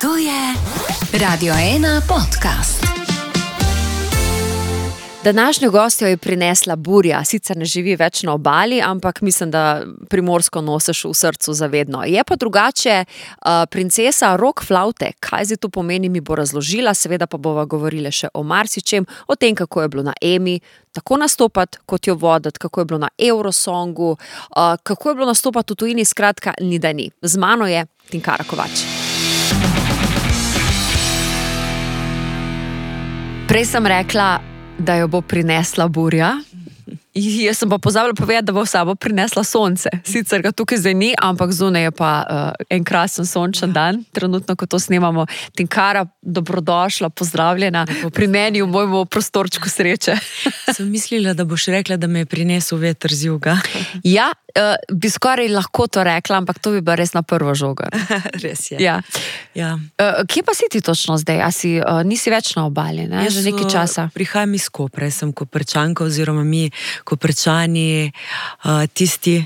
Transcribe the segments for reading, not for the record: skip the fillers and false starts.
To je Radio 1 podcast. Današnjo gostjo je prinesla burja, sicer ne živi več na obali, ampak mislim, da Primorsko nosiš v srcu zavedno. Je pa drugače princesa rock flavte. Kaj zdaj to pomeni, mi bo razložila, seveda pa bova govorila še o marsičem, o tem, kako je bilo na Emi, tako nastopati, kot jo voditi, kako je bilo na Eurosongu, kako je bilo nastopati v tujini, skratka, ni da ni. Z mano je Tinkara Kovač. Prej sem rekla, da jo bo prinesla burja. Jaz sem pa pozabila povedati, da bo v sabo prinesla sonce. Sicer ga tukaj zdaj ni, ampak zunaj je pa en krasen sončen dan. Trenutno, ko to snemamo. Tinkara, dobrodošla, pozdravljena pri meni v mojemu prostorčku sreče. Sem mislila, da boš rekla, da me je prinesel veter z juga. Ja, bi skoraj lahko to rekla, ampak to bi bila res na prvo žogo. Res je. Ja. Ja. Kje pa si ti točno zdaj? Nisi več na obali, ne? Že nekaj časa. Prihajam iz Kopra, sem Koprčanka oziroma mi Koprčani, tisti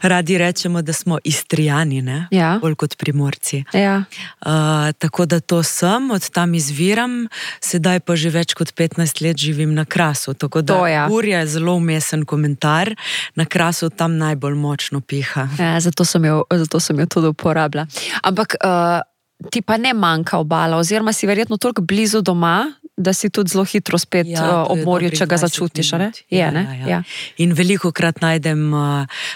radi rečemo, da smo Istrijani, ne? Ja. Bolj kot Primorci. Ja. Tako da to sem, od tam izviram, sedaj pa že več kot 15 let živim na Krasu. Tako da burja je zelo umesen komentar, na Krasu tam najbolj močno piha. Ja, zato sem jo tudi uporabila. Ampak ti pa ne manjka obala, oziroma si verjetno toliko blizu doma, da si tudi zelo hitro spet ob morju, če ga začutiš, ne? Ja. In velikokrat najdem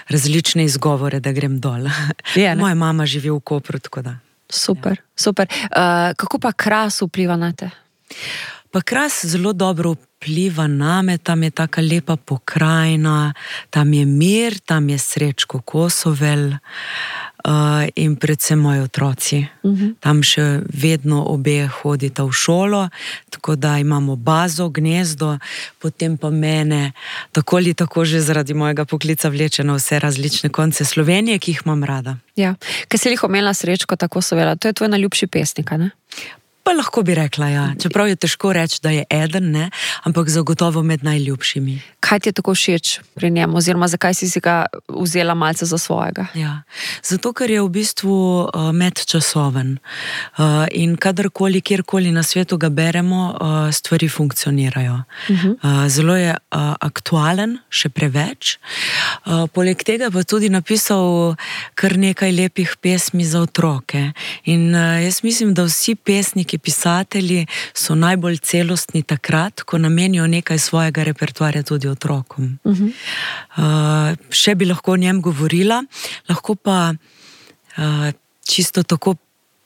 različne izgovore, da grem dol. Moja mama živi v Kopru, tako da. Super. Kako pa Kras vpliva na te? Pa Kras zelo dobro vpliva name, tam je taka lepa pokrajina, tam je mir, tam je Srečko Kosovel in predvsem moji otroci. Tam še vedno obe hodita v šolo, tako da imamo bazo, gnezdo, potem pa mene tako ali tako že zaradi mojega poklica vleče na vse različne konce Slovenije, ki jih imam rada. Ja, kaj si omenila Srečko Kosovela, to je tvoj najljubši pesnik, ne? Pa lahko bi rekla, ja. Čeprav je težko reči, da je eden, ne, ampak zagotovo med najljubšimi. Kaj ti je tako všeč pri njemu, oziroma zakaj si ga vzela malce za svojega? Ja, zato ker je v bistvu medčasoven in kadarkoli, kjerkoli na svetu ga beremo, stvari funkcionirajo. Zelo je aktualen, še preveč. Poleg tega pa tudi napisal kar nekaj lepih pesmi za otroke. In jaz mislim, da vsi pesniki, pisatelji so najbolj celostni takrat, ko namenijo nekaj svojega repertoarja tudi otrokom. Še bi lahko o njem govorila, lahko pa čisto tako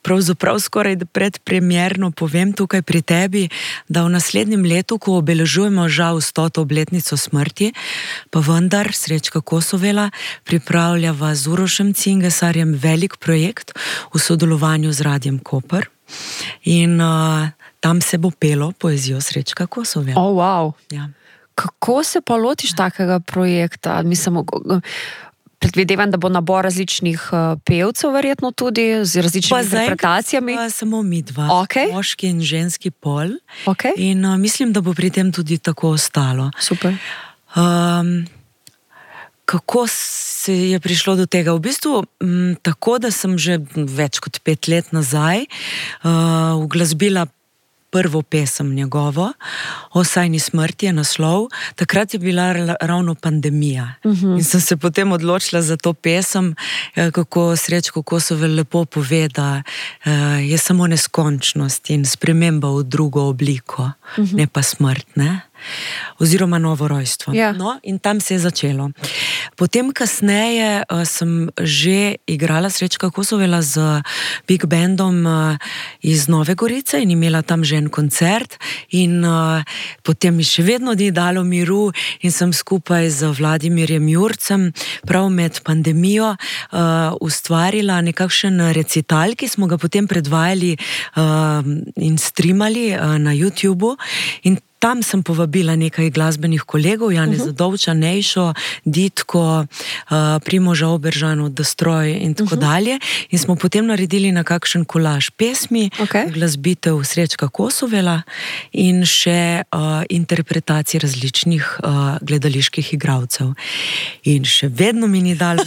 pravzaprav skoraj predpremierno povem tukaj pri tebi, da v naslednjem letu, ko obeležujemo žal 100. obletnico smrti, pa vendar Srečka Kosovela pripravljava z Urošem Cingesarjem velik projekt v sodelovanju z Radiem Koper. In tam se bo pelo poezijo Srečka Kosovela. Oh, wow. Ja. Kako se pa lotiš takega projekta? Mislim, predvidevam, da bo nabor različnih pevcev verjetno tudi, z različnimi interpretacijami. Pa samo mi dva, moški in ženski pol. In mislim, da bo pri tem tudi tako ostalo. Super. Kako se je prišlo do tega? V bistvu tako, da sem že več kot 5 let nazaj uglasbila prvo pesem njegovo, O sajni smrti je naslov. Takrat je bila ravno pandemija. In sem se potem odločila za to pesem, kako Srečko Kosovel lepo pove, da je samo neskončnost in sprememba v drugo obliko, ne pa smrt, ne? Oziroma novo rojstvo. No, in tam se je začelo. Potem kasneje sem že igrala Srečka Kosovela z Big Bandom iz Nove Gorice in imela tam že en koncert in potem mi še vedno ni dalo miru in sem skupaj z Vladimirjem Jurcem prav med pandemijo ustvarila nekakšen recital, ki smo ga potem predvajali in streamali na YouTubeu in tam sem povabila nekaj glasbenih kolegov, Janeza Dovča, Nejšo, Ditko, Primoža Oberžano, Destroy in tako dalje. In smo potem naredili na kakšen kolaž pesmi, glasbitev Srečka Kosovela in še interpretacij različnih gledaliških igralcev. In še vedno mi ni dalo.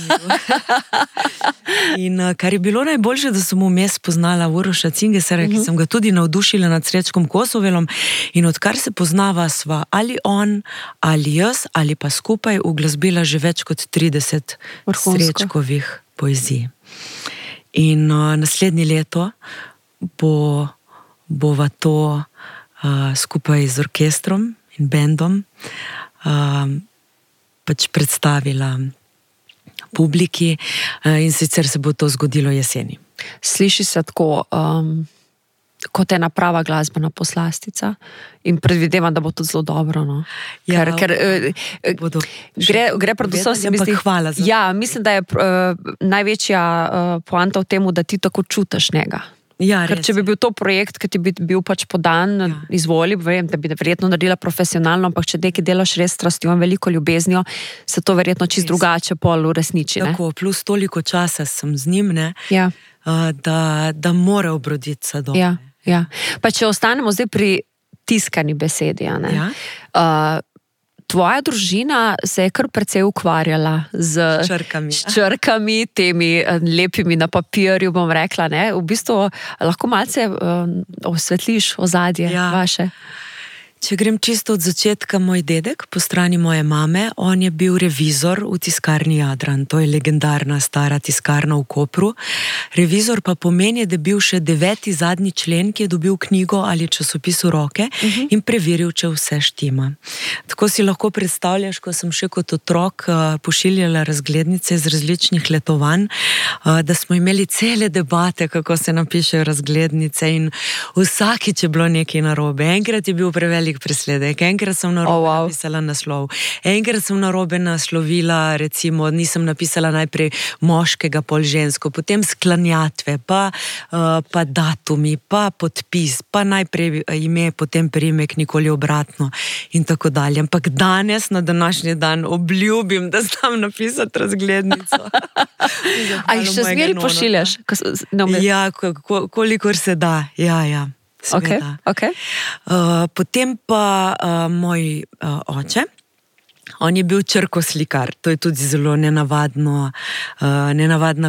In kar je bilo najboljše, da sem vmes poznala Uroša Cingesera, ki sem ga tudi navdušila nad Srečkom Kosovelom, in odkar se poznava sva ali on, ali jaz, ali pa skupaj uglasbila že več kot 30 Srečkovih poezij. In naslednje leto bova to skupaj z orkestrom in bendom pač predstavila publiki, in sicer se bo to zgodilo jeseni. Sliši se tako kot ena prava glasbena poslastica in predvidevam, da bo to zelo dobro. No? Ker gre predvsem se mi zdi, hvala za ja, mislim, da je največja poanta v temu, da ti tako čutiš njega. Ja, ker če bi bil to projekt, ki ti bi bil pač podan, izvoli, vem, da bi verjetno naredila profesionalno, ampak če nekaj delaš res strastjo in veliko ljubeznijo, se to verjetno čisto drugače pol uresniči. Tako, plus toliko časa sem z njim, da mora obroditi sadove. Ja. Pa če ostanemo zdaj pri tiskani besedi, tvoja družina se je kar precej ukvarjala z črkami, temi lepimi na papirju, bom rekla, ne? V bistvu lahko malce osvetliš ozadje vaše. Če grem čisto od začetka, moj dedek, po strani moje mame, on je bil revizor v tiskarni Jadran. To je legendarna stara tiskarna v Kopru. Revizor pa pomeni, da je bil še 9. zadnji člen, ki je dobil knjigo ali časopis v roke in preveril, če vse štima. Tako si lahko predstavljaš, ko sem še kot otrok pošiljala razglednice iz različnih letovanj, da smo imeli cele debate, kako se napišejo razglednice, in vsakič je bilo nekaj narobe. Enkrat je bil prevelik presledek, enkrat sem narobe napisala naslov, enkrat sem narobe naslovila, recimo, nisem napisala najprej moškega, pol žensko, potem sklanjatve, pa datumi, pa podpis, pa najprej ime, potem priimek, nikoli obratno in tako dalje. Ampak danes, na današnji dan, obljubim, da znam napisati razglednico. A jih še zmeri pošiljaš? Ja, kolikor se da, ja. Okay. Potem pa moj oče, on je bil črkoslikar. To je tudi zelo nenavadna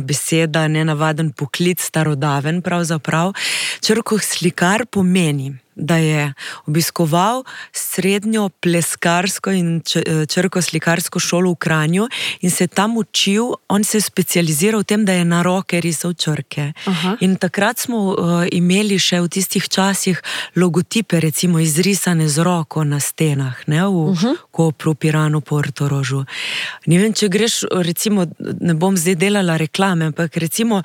beseda, nenavaden poklic, starodaven pravzaprav. Črkoslikar pomeni, da je obiskoval srednjo pleskarsko in črkoslikarsko šolo v Kranju in se tam učil, on se je specializiral v tem, da je na roke risal črke. In takrat smo imeli še v tistih časih logotipe, recimo izrisane z roko na stenah, ne, v Kopru, Piranu, Portorožu. Ne vem, če greš, recimo, ne bom zdaj delala reklame, ampak recimo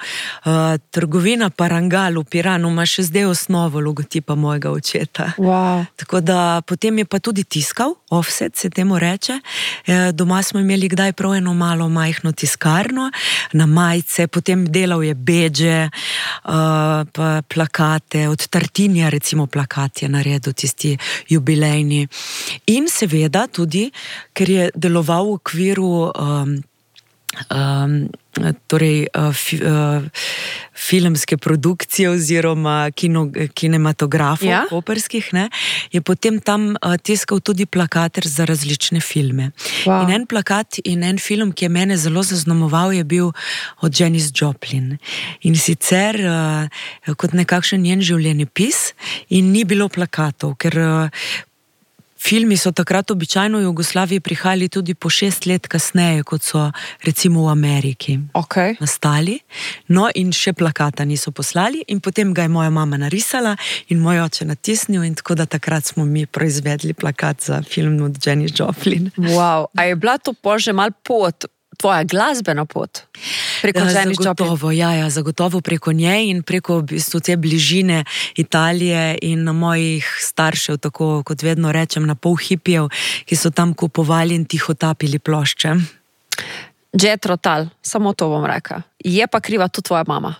trgovina Parangal v Piranu ima še zdaj osnovo logotipa mojega očeta. Wow. Tako da potem je pa tudi tiskal, offset se temu reče. Doma smo imeli kdaj prav eno malo majhno tiskarno, na majice, potem delal je bedže, pa plakate, od Tartinija recimo plakat je naredil, tisti jubilejni. In seveda tudi, ker je deloval v okviru filmske produkcije oziroma kinematografov koperskih, ne, je potem tam tiskal tudi plakater za različne filme. Wow. In en plakat in en film, ki je mene zelo zaznamoval, je bil od Janis Joplin. In sicer kot nekakšen njen življenjepis, in ni bilo plakatov, ker filmi so takrat običajno v Jugoslaviji prihajali tudi po 6 let kasneje, kot so recimo v Ameriki nastali. No, in še plakata niso poslali in potem ga je moja mama narisala in moj oče natisnil, in tako da takrat smo mi proizvedli plakat za film od Janis Joplin. Wow, a je bila to že malo pot, tvoja glasbena pot? Zagotovo preko nje in preko v bistvu te bližine Italije in mojih staršev, tako kot vedno rečem, na pol hipijev, ki so tam kupovali in tihotapili plošče. Jethro Tull, samo to bom rekla. Je pa kriva tudi tvoja mama?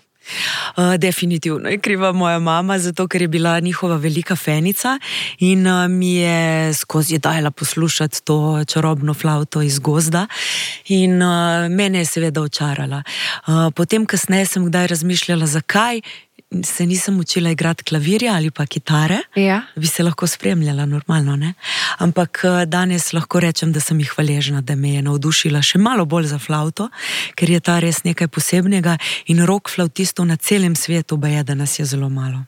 Definitivno je kriva moja mama, zato ker je bila njihova velika fenica in mi je skozi dajala poslušati to čarobno flavto iz gozda in mene je seveda očarala. Potem kasneje sem kdaj razmišljala, zakaj se nisem učila igrati klavirja ali pa kitare, bi se lahko spremljala normalno, ne? Ampak danes lahko rečem, da sem jih hvaležna, da me je navdušila še malo bolj za flavto, ker je ta res nekaj posebnega in rock flautistov na celem svetu baje, da nas je zelo malo.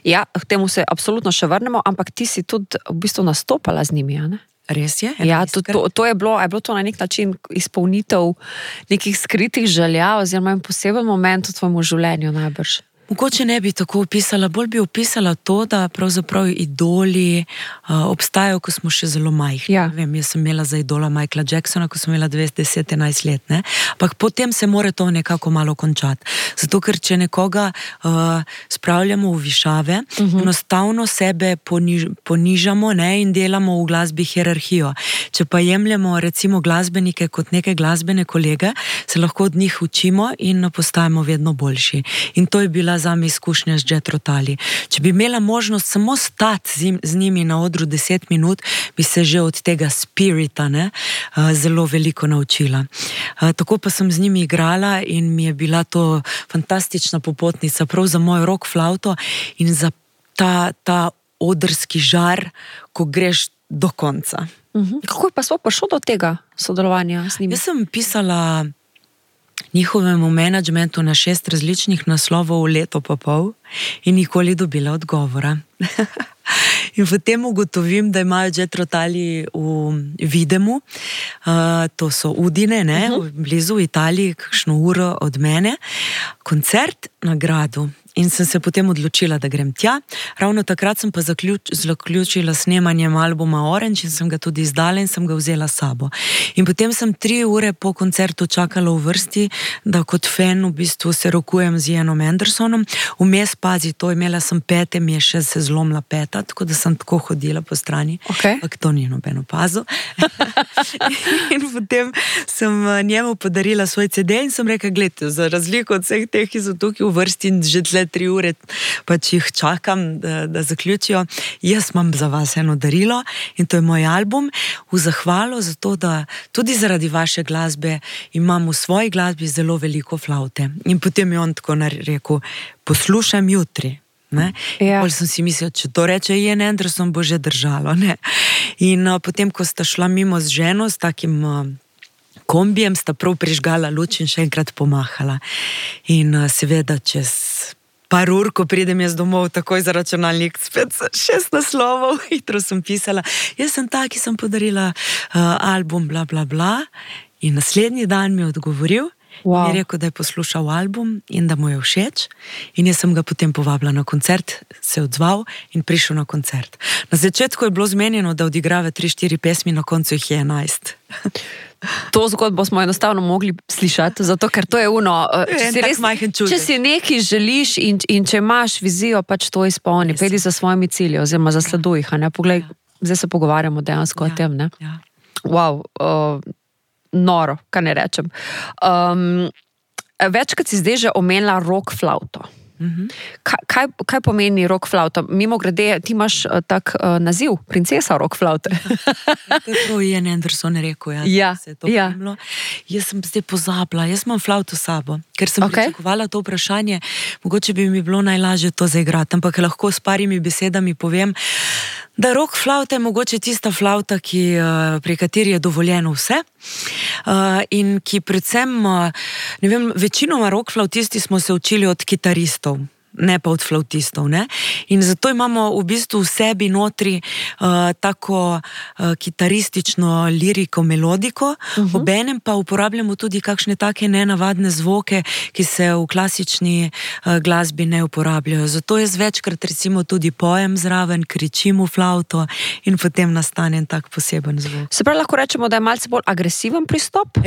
Ja, k temu se absolutno še vrnemo, ampak ti si tudi v bistvu nastopala z njimi, ne? Res je? Ja, to je bilo to na nek način izpolnitev nekih skritih želja oziroma en poseben moment v tvojem življenju najbrž. Mogoče ne bi tako opisala, bolj bi opisala to, da pravzaprav idoli obstajajo, ko smo še zelo majhni. Ja. Vem, jaz sem imela za idola Michaela Jacksona, ko sem imela 10-11 let, ne? Ampak potem se mora to nekako malo končati. Zato, ker če nekoga spravljamo v višave, enostavno sebe ponižamo, ne? In delamo v glasbi hierarhijo. Če pa jemljemo recimo glasbenike kot neke glasbene kolege, se lahko od njih učimo in postajamo vedno boljši. In to je bila zame izkušnja z Jethro Tully. Če bi imela možnost samo stati z njimi na odru 10 minut, bi se že od tega spirita, ne, zelo veliko naučila. Tako pa sem z njimi igrala in mi je bila to fantastična popotnica prav za mojo rock flauto in za ta odrski žar, ko greš do konca. Kako je pa sploh prišlo do tega sodelovanja z njimi? Jaz sem pisala njihovemu menedžmentu na 6 različnih naslovov v leto pa pol in nikoli dobila odgovora. In potem ugotovim, da imajo Jethro Tully v Videmu, to so Udine, ne, blizu v Italiji, kakšno uro od mene, koncert na gradu. In sem se potem odločila, da grem tja. Ravno takrat sem pa zaključila snemanjem albuma Orange in sem ga tudi izdala in sem ga vzela s sabo. In potem sem 3 ure po koncertu čakala v vrsti, da kot fan v bistvu se rokujem z Ianom Andersonom. Vmes, pazi, to imela sem pete, mi je še se zlomila peta, tako da sem tako hodila po strani. Ampak to ni noben opazil. In potem sem njemu podarila svoj CD in sem rekla, gledajte, za razliko od vseh teh, ki so tukaj v vrsti in že 3 ure pač jih čakam, da zaključijo. Jaz imam za vas eno darilo in to je moj album v zahvalo za to, da tudi zaradi vaše glasbe imam v svoji glasbi zelo veliko flaute. In potem je on tako rekel, poslušam jutri. Ne? Ja. Bolj sem si mislila, če to reče Ian Anderson, bo že držalo. Ne? In potem, ko sta šla mimo z ženo, s takim kombijem, sta prav prižgala luč in še enkrat pomahala. In seveda čez par ur, ko pridem jaz domov, takoj za računalnik, spet 6 naslovov, hitro sem pisala. Jaz sem ta, ki sem podarila album, bla, bla, bla. In naslednji dan mi je odgovoril, in je rekel, da je poslušal album in da mu je všeč. In jaz sem ga potem povabila na koncert, se odzval in prišel na koncert. Na začetku je bilo zmenjeno, da odigrava 3-4 pesmi, na koncu jih je 11. To zgodbo smo enostavno mogli slišati, zato ker to je če si nekaj želiš in če imaš vizijo, pač to izpolni, pedi za svojimi cilji oziroma zasleduj jih, ne? Poglej, zdaj se pogovarjamo dejansko o tem, ne? Ja. Wow, noro, kaj ne rečem. Večkrat si zdaj že omenila rock flauto. Kaj pomeni rock flauta? Mimo grede, ti imaš tak naziv, princesa rock flaute. To je Ian Anderson rekel, se je to pomnilo. Jaz sem zdaj pozabila, jaz imam flauto s sabo, ker sem pričakovala to vprašanje, mogoče bi mi bilo najlažje to zaigrati, ampak lahko s parimi besedami povem, da rock flauta je mogoče tista flauta, pri kateri je dovoljeno vse in ki predvsem, ne vem, večinoma rock flautisti smo se učili od kitaristov, ne pa od flautistov, ne? In zato imamo v bistvu v sebi notri tako kitaristično liriko, melodiko, obenem pa uporabljamo tudi kakšne take nenavadne zvoke, ki se v klasični glasbi ne uporabljajo. Zato jaz večkrat recimo tudi pojem zraven, kričim v flauto in potem nastane tak poseben zvok. Se pravi, lahko rečemo, da je malce bolj agresiven pristop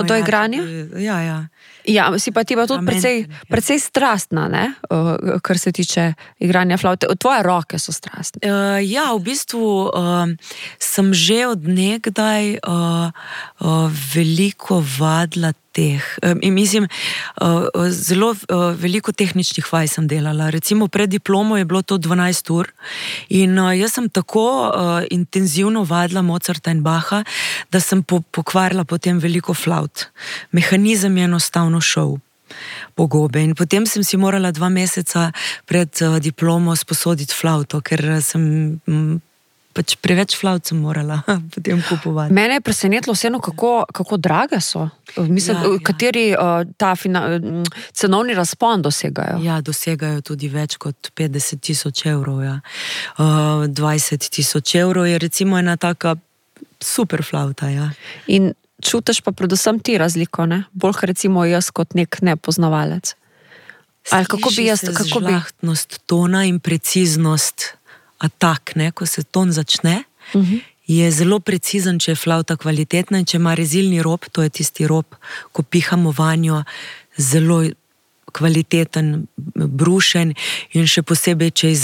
do igranja? Ja. Ja, si pa ti pa tudi precej strastna, ne? kar se tiče igranja flavte. Tvoje roke so strastne. Ja, v bistvu sem že od nekdaj veliko vadila mislim, zelo veliko tehničnih vaj sem delala. Recimo pred diplomo je bilo to 12 ur in jaz sem tako intenzivno vadila Mozarta in Bacha, da sem pokvarila potem veliko flaut. Mehanizem je enostavno šel po gobe in potem sem si morala 2 meseca pred diplomo sposoditi flauto, ker sem pač preveč flaut sem morala potem kupovati. Mene je presenetilo vseeno, kako drage so. Mislim, kateri cenovni razpon dosegajo? Ja, dosegajo tudi več kot 50 000 evrov. Ja. 20 000 evrov je recimo ena taka super flauta. Ja. In čutiš pa predvsem ti razliko, ne? Bolj recimo jaz kot nek nepoznavalec. Ali kako bi jaz... Žlahtnost tona in preciznost atak, ne? Ko se ton začne, je zelo precizen, če je flauta kvalitetna in če ima rezilni rob, to je tisti rob, ko pihamo vanjo, zelo kvaliteten, brušen in še posebej, če je iz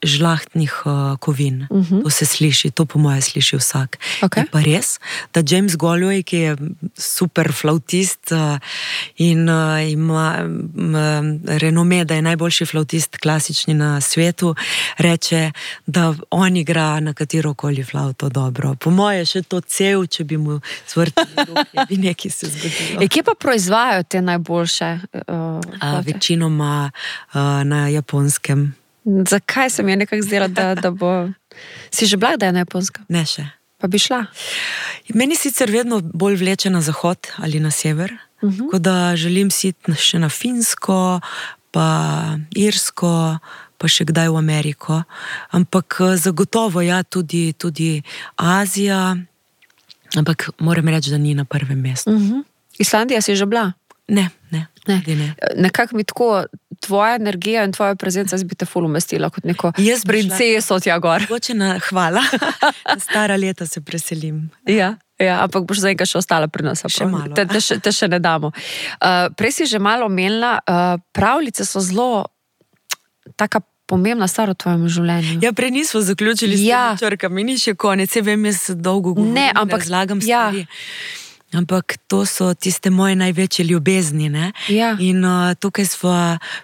žlahtnih kovin. To se sliši, to po moje sliši vsak. Okay. Je pa res, da James Galway, ki je super flautist in ima renome, da je najboljši flautist klasični na svetu, reče, da on igra na katerokoli flauto dobro. Po moje še to cev, če bi mu zvrtili ruke, bi nekaj se zgodilo. Kje pa proizvajajo te najboljše večinoma na Japonskem. Zakaj se mi je nekako zdela, da bo... Si že bila, da je na Japonskem? Ne še. Pa bi šla? Meni sicer vedno bolj vleče na zahod ali na sever, tako da želim si še na Finsko, pa Irsko, pa še kdaj v Ameriko. Ampak zagotovo ja, tudi Azija, ampak moram reči, da ni na prvem mestu. Islandija si že bila? Ne. Nekako mi tako tvoja energija in tvoja prezenca bi te ful umestila kot neko princeso tja gor. Hvala. Stara leta se preselim. Ja, ampak boš zdaj še ostala pri nas. Še malo. Te še ne damo. Prej si že malo omenila, pravljice so zelo taka pomembna stvar v tvojem življenju. Ja, prej nismo zaključili s temi črkami, ni še konec, vem, jaz dolgo govorim, ne, ampak razlagam stvari. Ampak to so tiste moje največje ljubezni, ne? Ja. In tukaj smo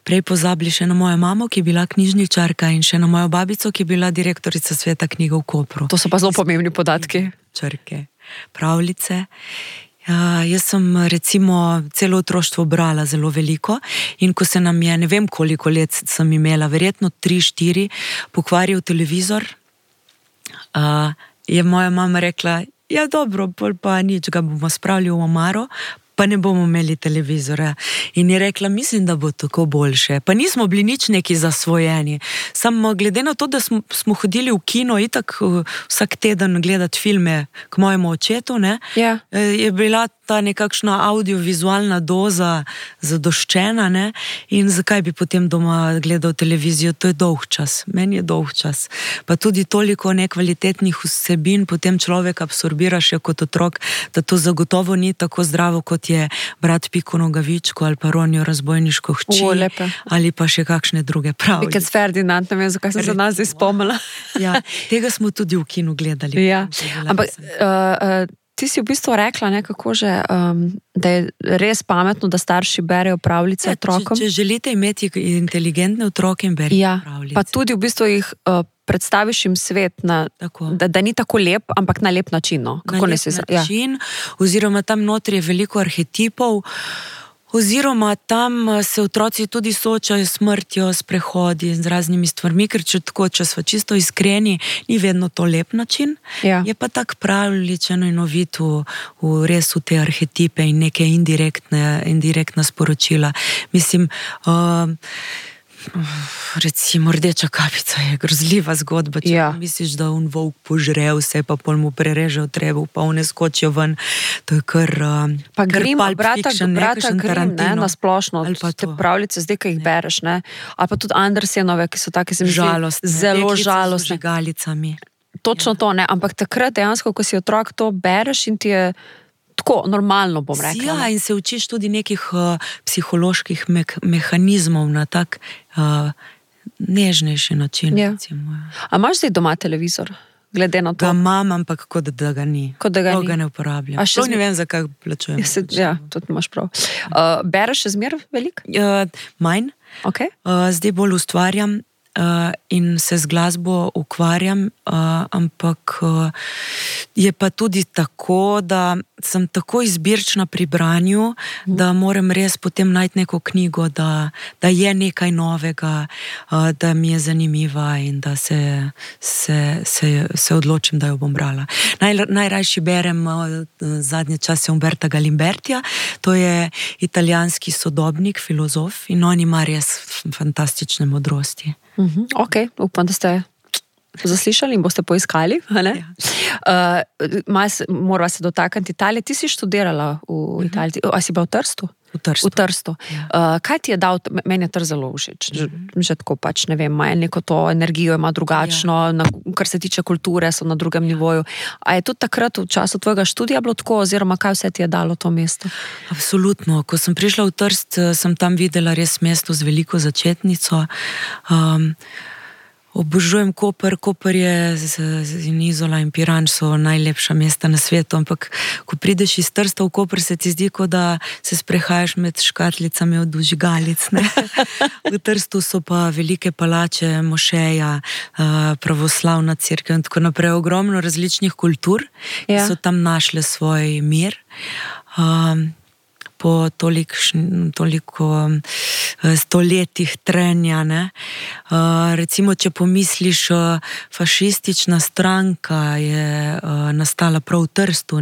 prej pozabili še na mojo mamo, ki je bila knjižničarka in še na mojo babico, ki je bila direktorica Sveta knjiga v Kopru. To so pa zelo pomembni podatki. Črke, pravljice. Jaz sem recimo celo otroštvo brala zelo veliko in ko se nam je, ne vem koliko let sem imela, verjetno 3-4, pokvaril televizor, je moja mama rekla, ja dobro, pa nič, ga bomo spravili v omaro, pa ne bomo imeli televizora. In je rekla, mislim, da bo tako boljše. Pa nismo bili nič neki zasvojeni. Samo glede na to, da smo hodili v kino itak vsak teden gledati filme k mojemu očetu, ne, je bila ta nekakšna audiovizualna doza zadoščena, ne, in zakaj bi potem doma gledal televizijo, to je dolg čas, meni je dolg čas. Pa tudi toliko nekvalitetnih vsebin potem človek absorbira še kot otrok, da to zagotovo ni tako zdravo, kot je Brat Piko Nogavičko ali pa Ronjo razbojniško hči, ali pa še kakšne druge pravljice. Pikec Ferdinand, ne vem, zakaj sem se nas zdaj spomnila. Ja, tega smo tudi v kinu gledali. Ja, ampak ti si v bistvu rekla nekako že, da je res pametno, da starši berejo pravljice otrokom. Če želite imeti inteligentne otroke in berite pravljice. Pa tudi v bistvu jih predstaviš jim svet, da ni tako lep, ampak na lep način. Kako na lep način, oziroma tam notri je veliko arhetipov, oziroma tam se otroci tudi soočajo s smrtjo, s prehodi, z raznimi stvarmi, ker če smo čisto iskreni, ni vedno to lep način. Ja. Je pa tak pravličeno in ovit res v te arhetipe in neke indirektna sporočila. Mislim, recimo Rdeča kapica je grozljiva zgodba, če misliš, da on volk požre vse, pa pol mu prereže v trebuh, pa one skočijo ven, to je kar pa Grimm, brata Grimm, ne, na splošno, te pravljice zdaj, ki jih bereš, ne, ali pa tudi Andersenove, ki so take, zelo žalostne. Žgalicami. Točno to, ne, ampak takrat dejansko, ko si otrok, to bereš in ti je tako normalno, bom rekla. Ja, in se učiš tudi nekih psiholoških mehanizmov na tak nežnejši način. Ja. A imaš zdaj doma televizor? Glede na to. Ga imam, ampak kot da ga ni. Kot da ga ni. Ga ne uporabljam. To ne vem, zakaj plačujem. Ja, tudi imaš prav. Bereš še zmer veliko? Manj. Okay. Zdaj bolj ustvarjam in se z glasbo ukvarjam, ampak je pa tudi tako, da sem tako izbirčna pri branju, da moram res potem najti neko knjigo, da je nekaj novega, da mi je zanimiva in da se odločim, da jo bom brala. Najrajši berem zadnje čase Umberta Galimbertija, to je italijanski sodobnik, filozof in on ima res fantastične modrosti. Ok, upam, da ste zaslišali in boste poiskali. Ja. Morava se dotakniti Italije. Ti si študirala v Italiji, a si bila v Trstu? V Trstu. Ja. Kaj ti je dal, meni je Trst zelo všeč, že tako pač, ne vem, ima neko to energijo, ima drugačno, kar se tiče kulture, so na drugem nivoju. A je tudi takrat v času tvojega študija bilo tako, oziroma kaj vse ti je dalo to mesto? Absolutno. Ko sem prišla v Trst, sem tam videla res mesto z veliko začetnico. Obožujem Koper. Koper je in Izola in Piran so najlepša mesta na svetu, ampak ko prideš iz Trsta v Koper, se ti zdi, kot da se sprehajaš med škatlicami od vžigalic. V Trstu so pa velike palače, mošeja, pravoslavna cerkev in tako naprej. Ogromno različnih kultur, ki so tam našle svoj mir. Po toliko stoletjih trenja. Recimo, če pomisliš, fašistična stranka je nastala prav v Trstu,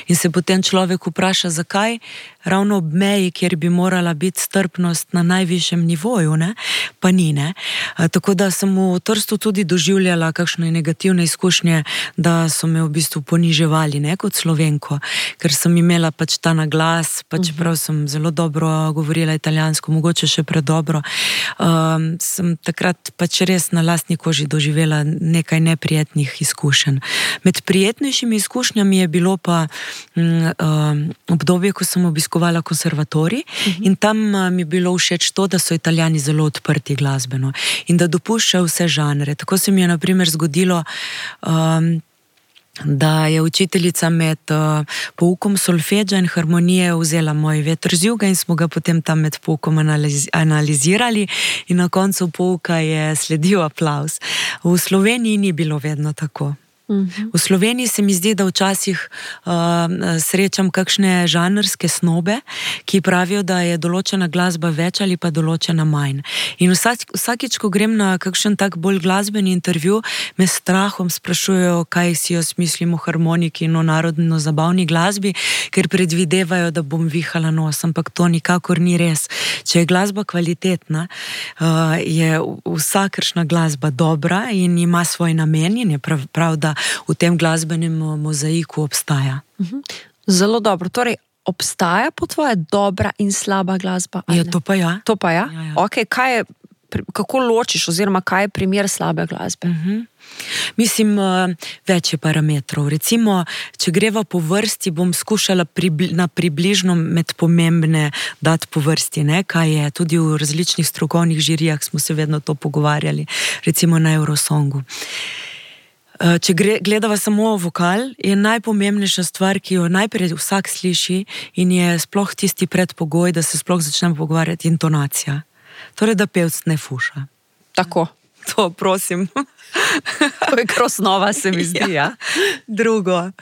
in se potem človek vpraša, zakaj ravno ob meji, kjer bi morala biti strpnost na najvišjem nivoju, pa ni. Tako da sem v Trstu tudi doživljala kakšne negativne izkušnje, da so me v bistvu poniževali, kot Slovenko, ker sem imela pač ta naglas, čeprav sem zelo dobro govorila italijansko, mogoče še predobro. Sem takrat pač res na lastni koži doživela nekaj neprijetnih izkušenj. Med prijetnejšimi izkušnjami je bilo pa obdobje, ko sem obiskovala konservatorij in tam mi je bilo všeč to, da so Italijani zelo odprti glasbeno in da dopuščajo vse žanre. Tako se mi je na primer zgodilo, da je učiteljica med poukom solfeđa in harmonije vzela moj veter z juga in smo ga potem tam med poukom analizirali in na koncu pouka je sledil aplavz. V Sloveniji ni bilo vedno tako. V Sloveniji se mi zdi, da včasih srečam kakšne žanrske snobe, ki pravijo, da je določena glasba več ali pa določena manj. In vsakič, ko grem na kakšen tak bolj glasbeni intervju, me s strahom sprašujejo, kaj si jaz mislim o harmoniki in o narodno-zabavni glasbi, ker predvidevajo, da bom vihala nos, ampak to nikakor ni res. Če je glasba kvalitetna, je vsakršna glasba dobra in ima svoj namen in je prav, da v tem glasbenem mozaiku obstaja. Zelo dobro. Torej, obstaja po tvoje dobra in slaba glasba? Ja, to pa ja. To pa ja? Ja. Ok, kako ločiš oziroma kaj je primer slabe glasbe? Mislim, več je parametrov. Recimo, če greva po vrsti, bom skušala na približno med pomembne dati po vrsti, kaj je. Tudi v različnih strokovnih žirijah smo se vedno to pogovarjali. Recimo na Eurosongu. Če gledava samo vokal, je najpomembnejša stvar, ki jo najprej vsak sliši in je sploh tisti predpogoj, da se sploh začnemo pogovarjati, intonacija. Torej, da pevc ne fuša. Tako. To, prosim. To je krosnova, se mi zdi, ja. Drugo.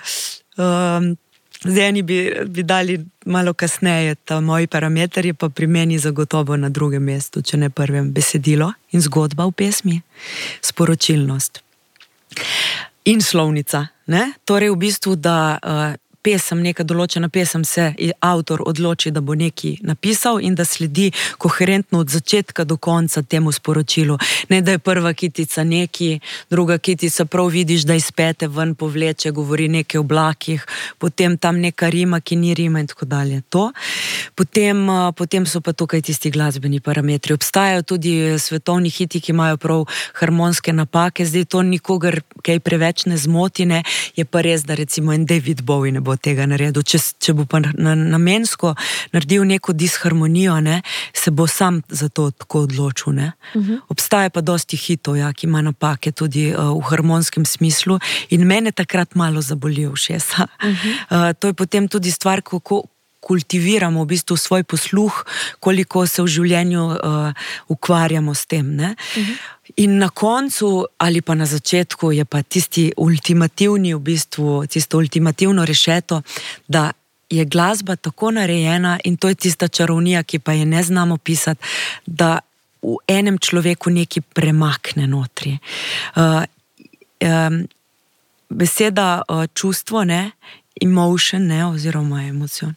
Zdaj eni bi dali malo kasneje, ta moji parametri, pa pri meni zagotovo na drugem mestu, če ne prvem, besedilo in zgodba v pesmi, sporočilnost. In slovnica, Torej v bistvu, da neka določena pesem se avtor odloči, da bo nekaj napisal in da sledi koherentno od začetka do konca temu sporočilu. Ne, da je prva kitica neki, druga kitica prav vidiš, da izpete ven, povleče, govori nekaj o oblakih, potem tam neka rima, ki ni rima in tako dalje. To. Potem so pa tukaj tisti glasbeni parametri. Obstajajo tudi svetovni hiti, ki imajo prav harmonske napake, zdaj to nikogar kaj preveč ne zmoti, je pa res, da recimo en David Bowie ne bo bo tega naredil. Če bo pa namensko naredil neko disharmonijo, ne, se bo sam za to tako odločil. Ne. Obstaja pa dosti hitov, ja, ki ima napake tudi v harmonskem smislu in mene takrat malo zaboli ušesa. To je potem tudi stvar, kako kultiviramo v bistvu svoj posluh, koliko se v življenju ukvarjamo s tem. Ne? In na koncu ali pa na začetku je pa tisti ultimativni, v bistvu, tisto ultimativno rešeto, da je glasba tako narejena in to je tista čarovnija, ki pa je ne znamo pisati, da v enem človeku nekaj premakne notri. Beseda čustvo, ne, emotion, ne, oziroma emocion,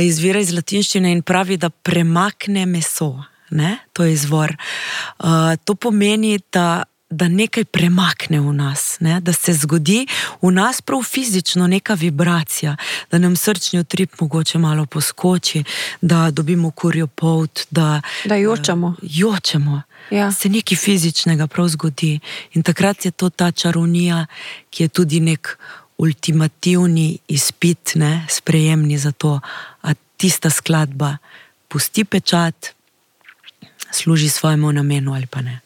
izvira iz latinščine in pravi, da premakne meso, ne, to je izvor. To pomeni, da nekaj premakne v nas, ne, da se zgodi v nas prav fizično neka vibracija, da nam srčni utrip mogoče malo poskoči, da dobimo kurjo polt, da jočemo. Ja. Se nekaj fizičnega prav zgodi. In takrat je to ta čarovnija, ki je tudi nek ultimativni izpit, ne, sprejemni za to, a tista skladba pusti pečat, služi svojemu namenu ali pa ne.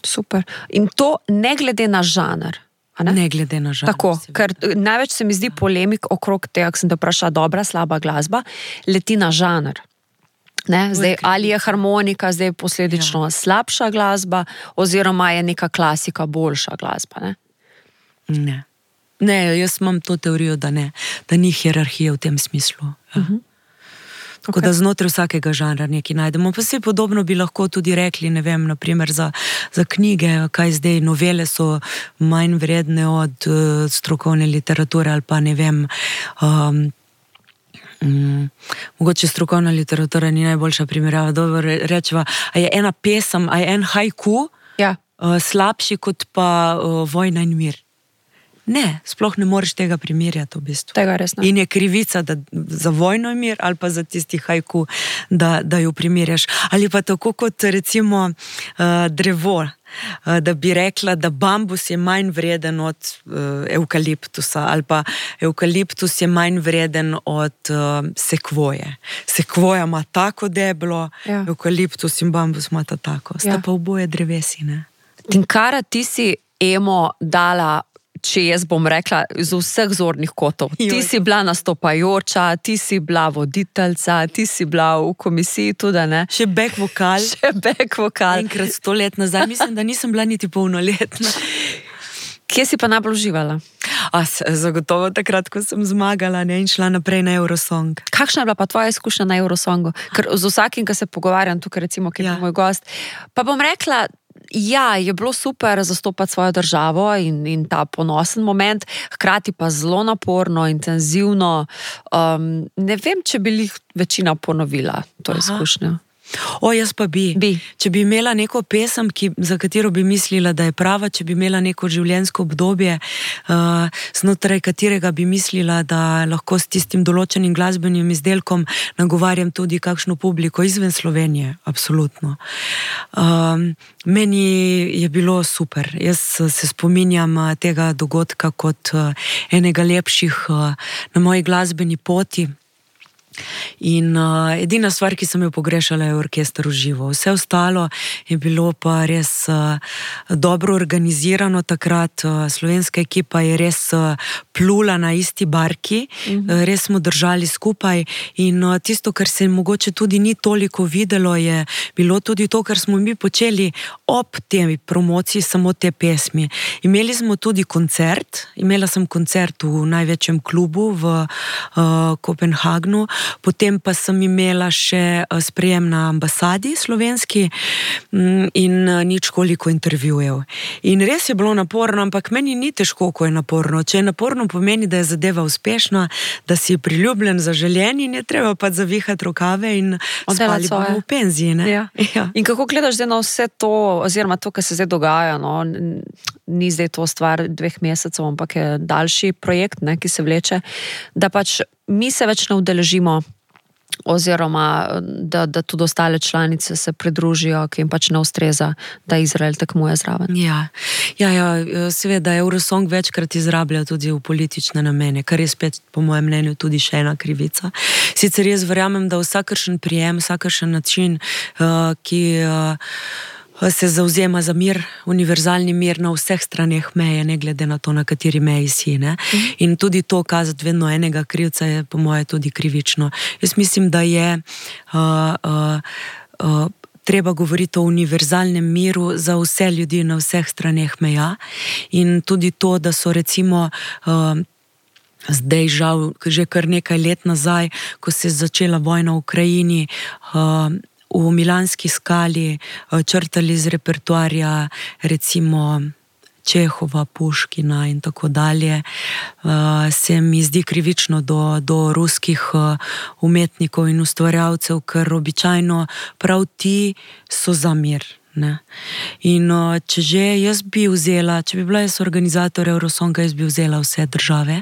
Super. In to ne glede na žanr. Ne glede na žanr. Tako, ker največ se mi zdi polemik okrog tega, ko sem te vprašala, dobra, slaba glasba, leti na žanr. Ne, zdaj, ali je harmonika zdaj posledično slabša glasba, oziroma je neka klasika boljša glasba, ne? Ne, jaz imam to teorijo, da ne, da ni hierarhije v tem smislu. Ja. Tako da znotraj vsakega žanra nekaj najdemo. Pa se podobno bi lahko tudi rekli, ne vem, naprimer za knjige, kaj zdaj, novele so manj vredne od strokovne literature ali pa ne vem, mogoče strokovna literatura ni najboljša primerjava, dobro rečeva, a je ena pesem, a je en haiku slabši kot pa Vojna in mir. Ne, sploh ne moreš tega primerjati v bistvu. Tega res ne. In je krivica za Vojno in mir ali pa za tisti haiku, da jo primerjaš. Ali pa tako kot recimo drevo, da bi rekla, da bambus je manj vreden od evkaliptusa ali pa evkaliptus je manj vreden od sekvoje. Sekvoja ima tako deblo, evkaliptus in bambus ima tako. Sta pa oboje drevesi, ne? Tinkara, ti si emo dala, če jaz bom rekla, z vseh zornih kotov. Ti si bila nastopajoča, ti si bila voditeljca, ti si bila v komisiji tudi, ne? Še back vokal. Enkrat 100 let nazaj, mislim, da nisem bila niti polnoletna. Kje si pa najbolj uživala? Zagotovo takrat, ko sem zmagala, ne, in šla naprej na Eurosong. Kakšna je bila pa tvoja izkušnja na Eurosongu? Ker z vsakim, ki se pogovarjam tukaj, recimo, ki je moj gost, pa bom rekla, je bilo super zastopati svojo državo in ta ponosen moment, hkrati pa zelo naporno, intenzivno. Ne vem, če bi jih večina ponovila to izkušnjo. Jaz pa bi. Če bi imela neko pesem, za katero bi mislila, da je prava, če bi imela neko življenjsko obdobje, znotraj katerega bi mislila, da lahko s tistim določenim glasbenim izdelkom nagovarjam tudi kakšno publiko izven Slovenije, absolutno. Meni je bilo super. Jaz se spominjam tega dogodka kot enega lepših na moji glasbeni poti. In edina stvar, ki sem jo pogrešala, je orkester v živo. Vse ostalo je bilo pa res dobro organizirano takrat. Slovenska ekipa je res plula na isti barki, res smo držali skupaj in tisto, kar se mogoče tudi ni toliko videlo, je bilo tudi to, kar smo mi počeli ob tej promociji samo te pesmi. Imeli smo tudi koncert, imela sem koncert v največjem klubu v Kopenhagnu, potem pa sem imela še sprejem na ambasadi slovenski in nič koliko intervjujev. In res je bilo naporno, ampak meni ni težko, ko je naporno. Če je naporno, pomeni, da je zadeva uspešna, da si priljubljen, zaželjen in je treba pa zavihati rokave in spali bomo v penziji. Ne? Ja. In kako gledaš zdaj na vse to, oziroma to, kar se zdaj dogaja, no? Ni zdaj to stvar 2 mesecev, ampak je daljši projekt, ne, ki se vleče, da pač mi se več ne udeležimo oziroma da tudi ostale članice se pridružijo, ki jim pač ne ustreza, da Izrael tekmuje zraven. Ja, seveda Eurosong večkrat izrablja tudi v politične namene, kar je spet po mojem mnenju tudi še ena krivica. Sicer jaz verjamem, da vsakršen prijem, vsakršen način, ki se zauzema za mir, univerzalni mir na vseh straneh meje, ne glede na to, na kateri meji si. Ne? In tudi to kazati vedno enega krivca je po moje tudi krivično. Jaz mislim, da je treba govoriti o univerzalnem miru za vse ljudi na vseh straneh meja in tudi to, da so recimo zdaj žal že kar nekaj let nazaj, ko se je začela vojna v Ukrajini, v Milanski skali črtali iz repertoarja recimo Čehova, Puškina in tako dalje, se mi zdi krivično do ruskih umetnikov in ustvarjalcev, ker običajno prav ti so za mir. Ne? In če bi bila jaz organizator Eurosonga, jaz bi vzela vse države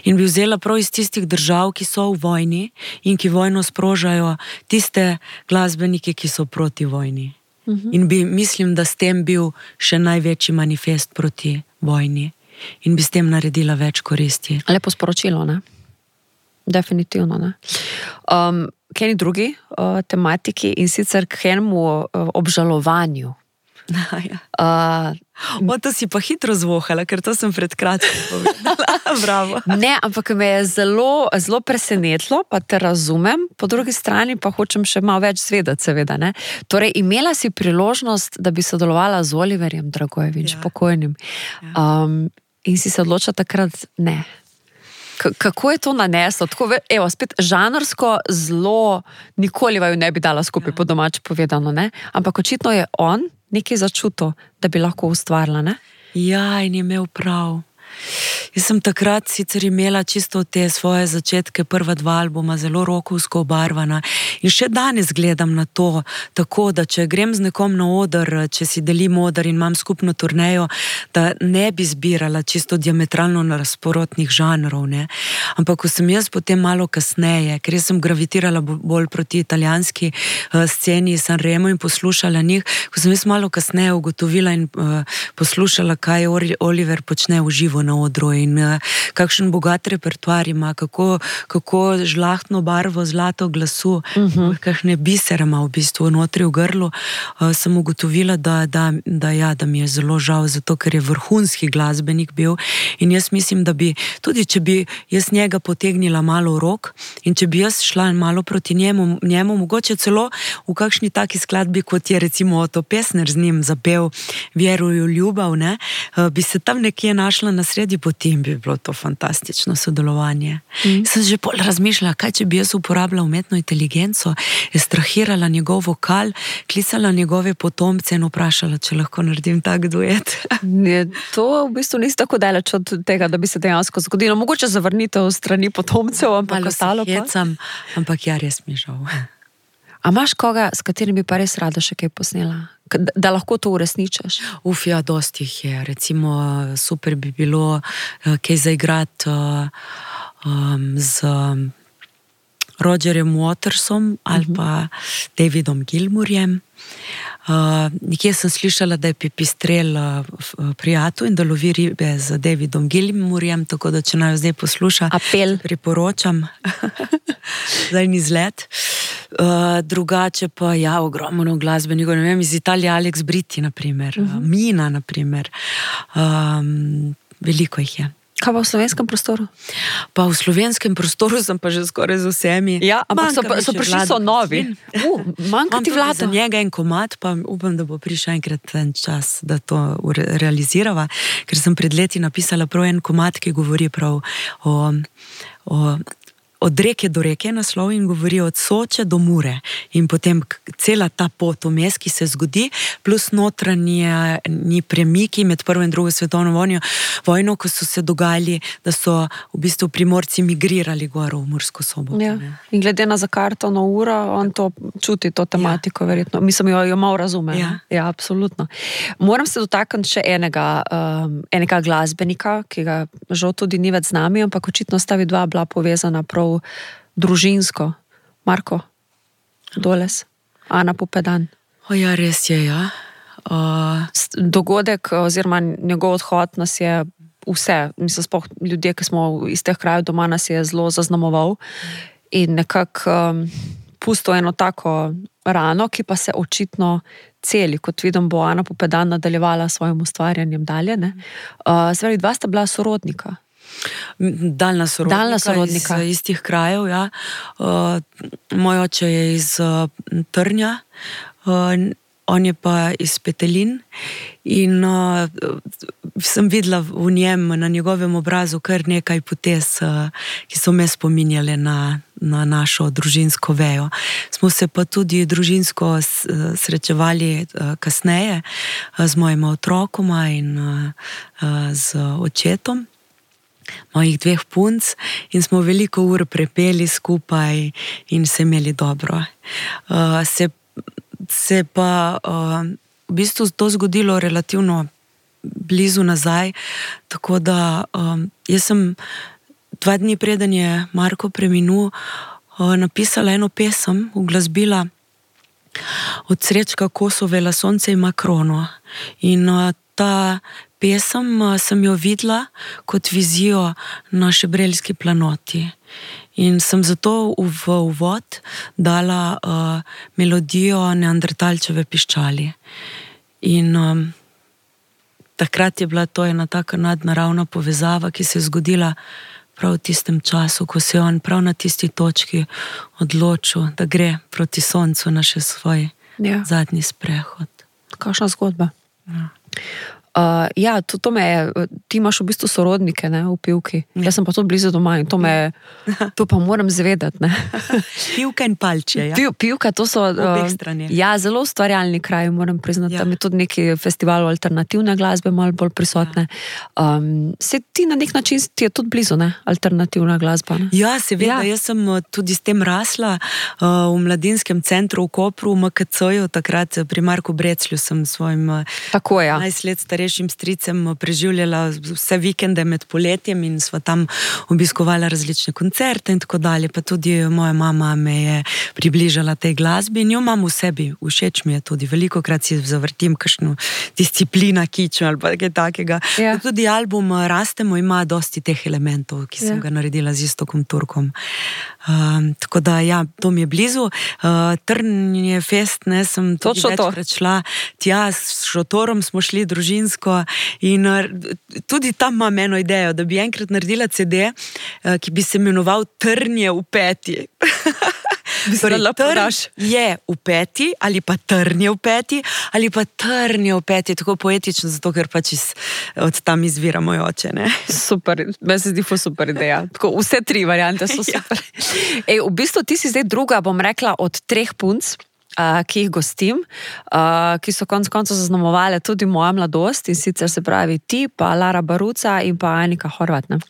in bi vzela prav iz tistih držav, ki so v vojni in ki vojno sprožajo, tiste glasbenike, ki so proti vojni. In mislim, da s tem bil še največji manifest proti vojni in bi s tem naredila več koristi. Lepo sporočilo, ne? Definitivno, ne? K eni drugi tematiki in sicer k enemu obžalovanju. To si pa hitro zvohala, ker to sem pred kratkim povedala. Bravo. Ne, ampak me je zelo, zelo presenetilo, pa te razumem, po drugi strani pa hočem še malo več zvedeti, seveda. Ne? Torej, imela si priložnost, da bi sodelovala z Oliverjem Dragojević, pokojnim. In si se odločila takrat ne. Kako je to naneslo? Tako, evo, spet žanrsko zelo nikoli vaju ne bi dala skupaj, po domače povedano, ne? Ampak očitno je on nekaj začutil, da bi lahko ustvarila, ne? Ja, in je imel prav. Jaz sem takrat sicer imela čisto te svoje začetke, prva 2 albuma, zelo rokovsko obarvana in še danes gledam na to, tako da če grem z nekom na oder, če si delim oder in imam skupno turnejo, da ne bi zbirala čisto diametralno nasprotnih žanrov, ne. Ampak ko sem jaz potem malo kasneje, ker jaz sem gravitirala bolj proti italijanski sceni Sanremo in poslušala njih, ko sem jaz malo kasneje ugotovila in poslušala, kaj Oliver počne v živo na odru in kakšen bogat repertoar ima, kako žlahtno barvo, zlato glasu, kakšne bisere ima v bistvu notri v grlu, sem ugotovila, da mi je zelo žal, zato ker je vrhunski glasbenik bil in jaz mislim, da bi, tudi če bi jaz njega potegnila malo v rok in če bi jaz šla malo proti njemu mogoče celo v kakšni taki skladbi, kot je recimo Oto Pestner z njim zapel Vjeruju ljubav, ne, bi se tam nekje našla na sredi poti in bi bilo to fantastično sodelovanje. Sem že pol razmišljala, kaj če bi jaz uporabila umetno inteligenco, ekstrahirala njegov vokal, klicala njegove potomce in vprašala, če lahko naredim tak duet. To v bistvu nisi tako daleč od tega, da bi se dejansko zgodilo. Mogoče zavrnitev strani potomcev, ampak ostalo pa. Ampak ja, res mi žal. A imaš koga, s katerim bi pa res rada še kaj posnela? Da lahko to uresničaš? Ja, dosti jih je. Recimo, super bi bilo kaj zaigrati z Rogerjem Watersom ali pa Davidom Gilmourjem. Nekje sem slišala, da je Pipistrel prijatelj in da lovi ribe z Davidom Gilmourjem, tako da če naj zdaj posluša, apel priporočam za en izlet. Drugače pa ja, ogromno glasbenikov, ne vem, iz Italije Alex Britti, naprimer, Mina, naprimer, veliko jih je. Kaj pa v slovenskem prostoru? Pa v slovenskem prostoru sem pa že skoraj z vsemi. Ja, ampak so prišli so novi. Manjka ti Vlado. Za njega en komad, pa upam, da bo prišel enkrat en čas, da to realizirava, ker sem pred leti napisala prav en komad, ki govori prav od reke do reke naslov in govori od Soče do Mure in potem cela ta pot vmes, ki se zgodi, plus notranji premiki med prvo in drugo svetovno vojno, ko so se dogajali, da so v bistvu Primorci migrirali gor v Mursko Soboto. Ja. In glede na zakartano uro, on to čuti, to tematiko, verjetno. Mislim, jo malo razume. Ja, absolutno. Moram se dotakniti še enega glasbenika, ki ga žal tudi ni več z nami, ampak očitno sta vidva bila povezana prav družinsko. Marko Doles, Ana Pupedan. Ja, res je, ja. Dogodek oziroma njegov odhod nas je vse, mislim, sploh ljudje, ki smo iz teh krajev doma, nas je zelo zaznamoval in nekako pustil eno tako rano, ki pa se očitno celi, kot vidim, bo Ana Pupedan nadaljevala s svojim ustvarjanjem dalje. Zdaj, dva sta bila sorodnika. Daljna sorodnika. Iz istih krajev, ja. Moj oče je iz Trnja, on je pa iz Petelin in sem videla v njem, na njegovem obrazu, kar nekaj potez, ki so me spominjale na našo družinsko vejo. Smo se pa tudi družinsko srečevali kasneje z mojima otrokoma in z očetom mojih 2 punc in smo veliko ur prepeli skupaj in se imeli dobro. Se pa v bistvu to zgodilo relativno blizu nazaj, tako da jaz sem 2 dni preden je Marko preminul, napisala eno pesem, uglasbila od Srečka Kosovela Sonce ima krono. In ta pesem sem jo videla kot vizijo na Šebrelski planoti. In sem zato v uvod dala melodijo Neandertalčeve piščali. In takrat je bila to ena taka nadnaravna povezava, ki se je zgodila prav v tistem času, ko se je on prav na tisti točki odločil, da gre proti soncu na še svoj zadnji sprehod. Kakšna zgodba? Ja, to me je, ti imaš v bistvu sorodnike, ne, v Pivki. Jaz sem pa to blizu doma in to pa moram zvedati, ne. Pivka in Palče, ja. Pivka, to so ja, zelo ustvarjalni kraji, moram priznati. Tam je tudi neki festival alternativne glasbe malo bolj prisotne. Se ti na nek način ti je tudi blizu, ne, alternativna glasba, ne? Ja, seveda, jaz sem tudi s tem rasla v mladinskem centru v Kopru, v MKC-ju, takrat pri Marku Breclju sem svojim 11 let starejšim stricem preživljala vse vikende med poletjem in sva tam obiskovala različne koncerte in tako dalje, pa tudi moja mama me je približala tej glasbi in jo imam v sebi, všeč mi je tudi, velikokrat si zavrtim kakšno disciplina kiču ali pa kaj takega. Ja. Tudi album Rastemo ima dosti teh elementov, ki sem ga naredila z Iztokom Turkom. Tako da, ja, to mi je blizu. Trnje fest, ne, sem tudi večkrat šla tja, s šotorom smo šli družinsko in tudi tam imam eno idejo, da bi enkrat naredila CD, ki bi se imenoval Trnje v peti. Trn je v peti, ali pa Trnje v peti, ali pa Trnje v peti, tako poetično, zato ker pač od tam izvira moj oče, ne. Super, meni se zdi super ideja. Tako, vse 3 variante so super. V bistvu ti si zdaj druga, bom rekla, od 3 punc, ki jih gostim, ki so konec koncev zaznamovale tudi moja mladost in sicer se pravi ti, pa Lara Baruca in pa Anika Horvat, ne?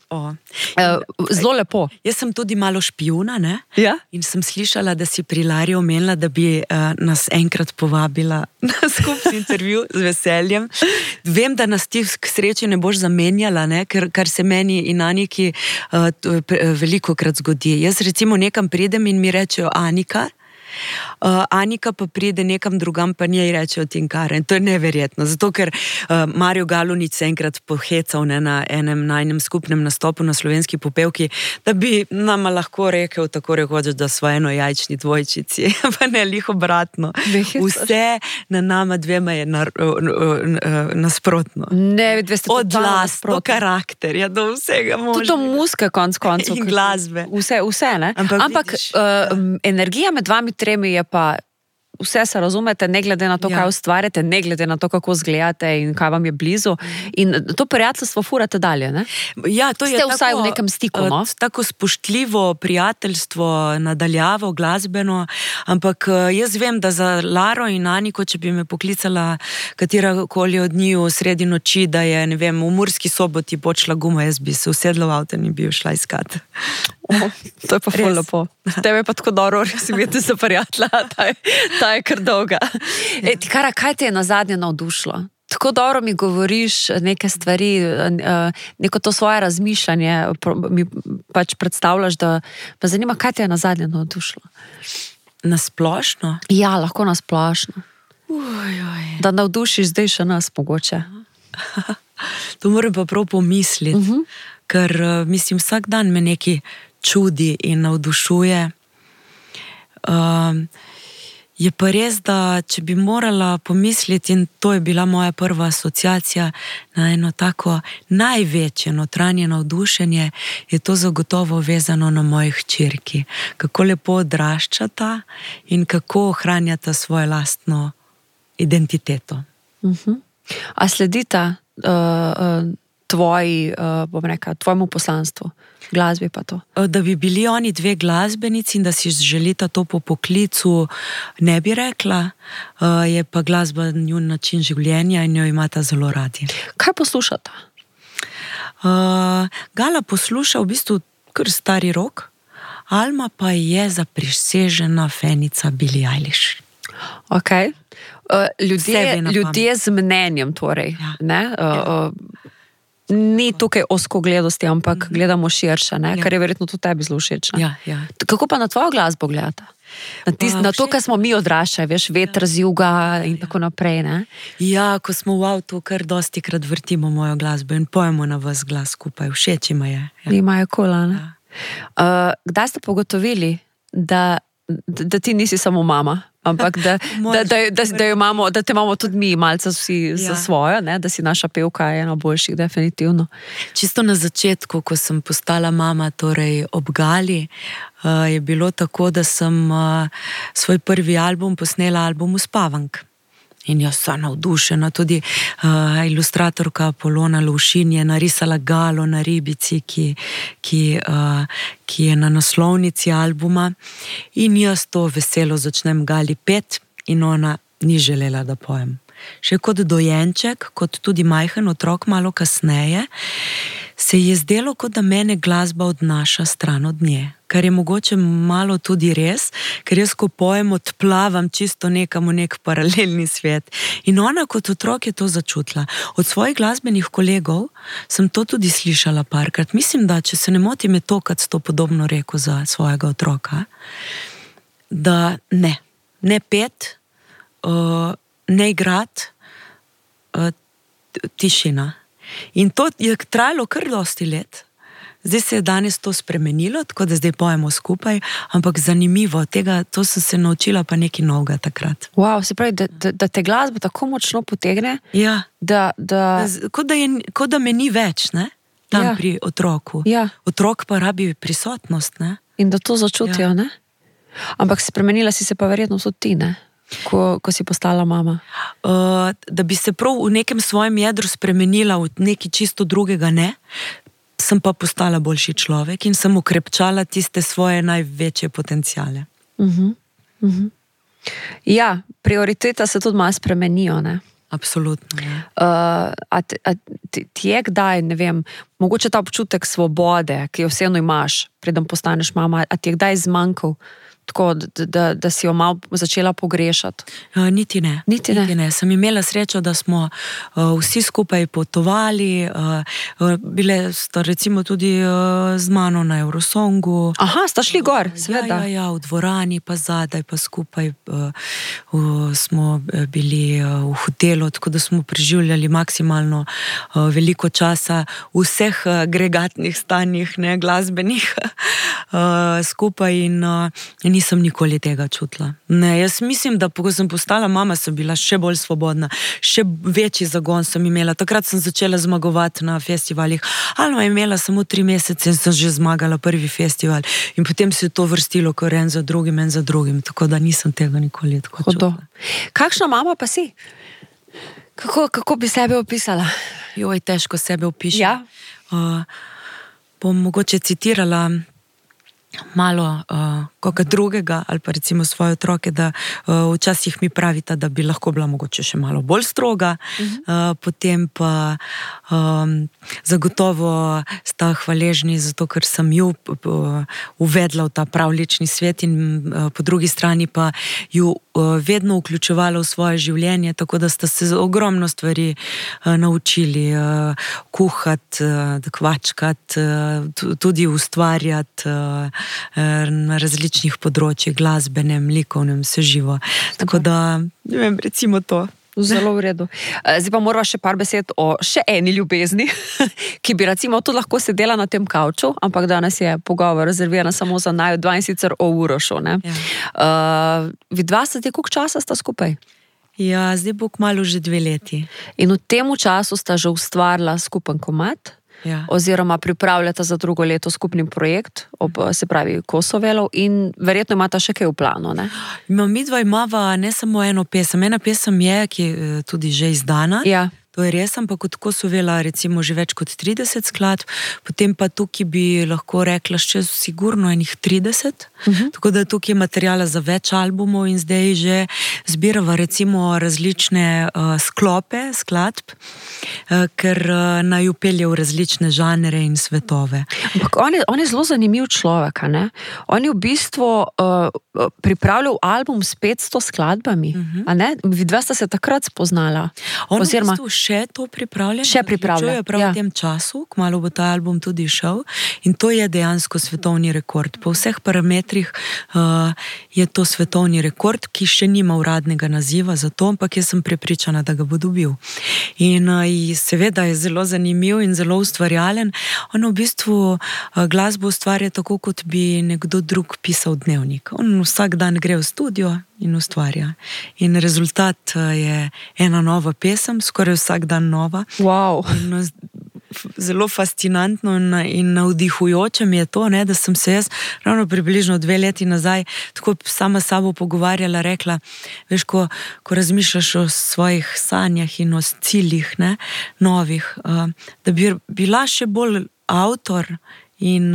Zelo lepo. Jaz sem tudi malo špijuna, ne? Ja? In sem slišala, da si pri Lari omenila, da bi nas enkrat povabila na skupni intervju z veseljem. Vem, da nas ti k sreči ne boš zamenjala, ne? Kar se meni in Aniki velikokrat zgodi. Jaz recimo nekam pridem in mi rečejo Anika, Anika pa pride nekam drugam, pa njej rečejo Tinkara. In to je neverjetno, zato ker Mario Galunič se enkrat pohecal na enem skupnem nastopu na Slovenski popevki, da bi nama lahko rekel tako rekoč, da smo enojajčni dvojčici, pa ne lih obratno. Vse na nama dvema je nasprotno. Od glas, do karakterja, do vsega možnega. Tudi do muske konc koncev. In glasbe. Vse, ne? Ampak energija med vami 3 je pa vse se razumete, ne glede na to, kaj ustvarjate, ne glede na to, kako zgledate in kaj vam je blizu. In to prijateljstvo furate dalje, ne? Ja, to je tako, vsaj v nekem stiku, no? Tako spoštljivo prijateljstvo, nadaljavo, glasbeno, ampak jaz vem, da za Laro in Aniko, če bi me poklicala katerakoli od njiju sredi noči, da je, ne vem, v Murski Soboti počela guma, jaz bi se usedla v avto in bi jo šla iskat. To je pa ful lepo. Tebe je pa tako dobro, res imeti za prijatelja, ta je kar dolga. Tikara, kaj te je nazadnje navdušilo? Tako dobro mi govoriš neke stvari, neko to svoje razmišljanje mi pač predstavljaš, da me zanima, kaj te je nazadnje navdušilo. Na splošno? Ja, lahko na splošno. Da navdušiš zdaj še nas mogoče. To moram pa prav pomisliti, ker mislim, vsak dan me nekaj čudi in navdušuje. Je pa res, da če bi morala pomisliti, in to je bila moja prva asociacija na eno tako največje notranje navdušenje, je to zagotovo vezano na moji hčerki. Kako lepo odraščata in kako ohranjata svojo lastno identiteto. A sledita tvojemu poslanstvu, glasbi pa to? Da bi bili oni dve glasbenici in da si želita to po poklicu, ne bi rekla, je pa glasba njun način življenja in jo imata zelo radi. Kaj poslušata? Gala posluša v bistvu kar stari rock, Alma pa je zaprisežena fenica Billie Eilish. Ok. Ljudje z mnenjem torej, ne? Ni tukaj ozkogledosti, ampak gledamo širše, ne? Kar je verjetno tudi tebi zelo všeč. Ja. Kako pa na tvojo glasbo gledata? Na to, kar smo mi odraščali, veš, veter z juga in tako naprej, ne? Ja, ko smo v avtu, kar dostikrat vrtimo mojo glasbo in pojemo na vas glas skupaj, všeč ima je. Imajo kola, ne? Kdaj ste pogotovili, da ti nisi samo mama, ampak da te imamo tudi mi malce vsi za svojo, ne? Da si naša pevka ena boljših, definitivno. Čisto na začetku, ko sem postala mama, torej ob Gali, je bilo tako, da sem svoj prvi album posnela album Uspavank. In jaz sem navdušena, tudi ilustratorka Polona Lovšin je narisala Galo na ribici, ki je na naslovnici albuma. In jaz to veselo začnem Gali pet in ona ni želela, da pojem. Še kot dojenček, kot tudi majhen otrok malo kasneje, se je zdelo, kot da mene glasba odnaša stran od nje. Kar je mogoče malo tudi res, ker jaz, ko pojem, odplavam čisto nekam v nek paralelni svet. In ona kot otrok je to začutila. Od svojih glasbenih kolegov sem to tudi slišala parkrat. Mislim, da, če se ne motim, je to, kad sto podobno rekel za svojega otroka, da ne pet, ne igrat, tišina. In to je trajalo kar dosti let. Zdaj se je danes to spremenilo, tako da zdaj pojemo skupaj, ampak zanimivo, to sem se naučila pa nekaj novega takrat. Wow, se pravi, da te glasba tako močno potegne, ja. da... Kot da me ni več, ne? Tam pri otroku. Ja. Otrok pa rabi prisotnost, ne? In da to začutijo, ne? Ampak spremenila si se pa verjetno tudi ti, ne? Ko si postala mama? Da bi se prav v nekem svojem jedru spremenila v nekaj čisto drugega, ne? Sem pa postala boljši človek in sem ukrepčala tiste svoje največje potenciale. Ja, prioriteta se tudi malo spremenijo, ne? Absolutno, ja. A ti je kdaj, ne vem, mogoče ta občutek svobode, ki jo vseeno imaš, preden postaneš mama, a ti je kdaj zmanjkal? Tako, da si jo malo začela pogrešati? Niti ne. Sem imela srečo, da smo vsi skupaj potovali, bile sta recimo tudi z mano na Eurosongu. Aha, sta šli gor, seveda. Ja, v dvorani, pa zadaj, pa skupaj smo bili v hotelu, tako da smo preživljali maksimalno veliko časa v vseh agregatnih stanjih, ne, glasbenih, skupaj in nisem nikoli tega čutila. Ne, jaz mislim, da ko sem postala mama, sem bila še bolj svobodna, še večji zagon sem imela. Takrat sem začela zmagovati na festivalih. Alma je imela samo 3 mesece in sem že zmagala prvi festival. In potem se je to vrstilo kar en za drugim, tako da nisem tega nikoli tako čutila. Kakšna mama pa si? Kako bi sebe opisala? Joj, težko sebe opišem. Ja. Bom mogoče citirala malo koga drugega ali pa recimo svoje otroke, da včasih mi pravita, da bi lahko bila mogoče še malo bolj stroga, potem pa zagotovo sta hvaležni zato, ker sem ju uvedla v ta pravlični svet in po drugi strani pa ju vedno vključevala v svoje življenje, tako da sta se ogromno stvari naučili, kuhati, kvačkati, tudi ustvarjati na različnih področjih, glasbenem, likovnem, vse živo. Tako da, ne vem, recimo to. Zelo v redu. Zdaj pa morava še par besed o še eni ljubezni, ki bi recimo tudi lahko sedela na tem kavču, ampak danes je pogovor rezervirana samo za naju dva in sicer o Urošu. Ja. Vidva sta koliko časa sta skupaj? Ja, zdaj bo kmalu že 2 leti. In v tem času sta že ustvarila skupen komad? Ja. Oziroma pripravljata za drugo leto skupni projekt, se pravi Kosovelov, in verjetno imata še kaj v planu, ne? Midva imava ne samo eno pesem. Ena pesem je, ki je tudi že izdana. Ja. To je res, ampak od Kosovela recimo že več kot 30 skladb, potem pa tukaj bi lahko rekla še sigurno enih 30, tako da tukaj je materijala za več albumov in zdaj že zbirava recimo različne sklope skladb, ker naju pelje v različne žanre in svetove. Ampak on je zelo zanimiv človek, ne? On je v bistvu pripravljal album s 500 skladbami, a ne? Vidva sta se takrat spoznala. On oziroma še to pripravlja. Še pripravlja, ja. V tem času, kmalu bo ta album tudi šel in to je dejansko svetovni rekord. Po vseh parametrih je to svetovni rekord, ki še nima uradnega naziva za to, ampak jaz sem prepričana, da ga bo dobil. In seveda je zelo zanimiv in zelo ustvarjalen. On v bistvu glasbo ustvarja tako, kot bi nekdo drug pisal dnevnik. On vsak dan gre v studio in ustvarja. In rezultat je ena nova pesem, skoraj vsak dan nova. Wow. In zelo fascinantno in navdihujoče mi je to, ne, da sem se jaz ravno približno 2 leti nazaj tako sama s sabo pogovarjala, rekla, veš, ko razmišljaš o svojih sanjah in o ciljih, ne, novih, da bi bila še bolj avtor in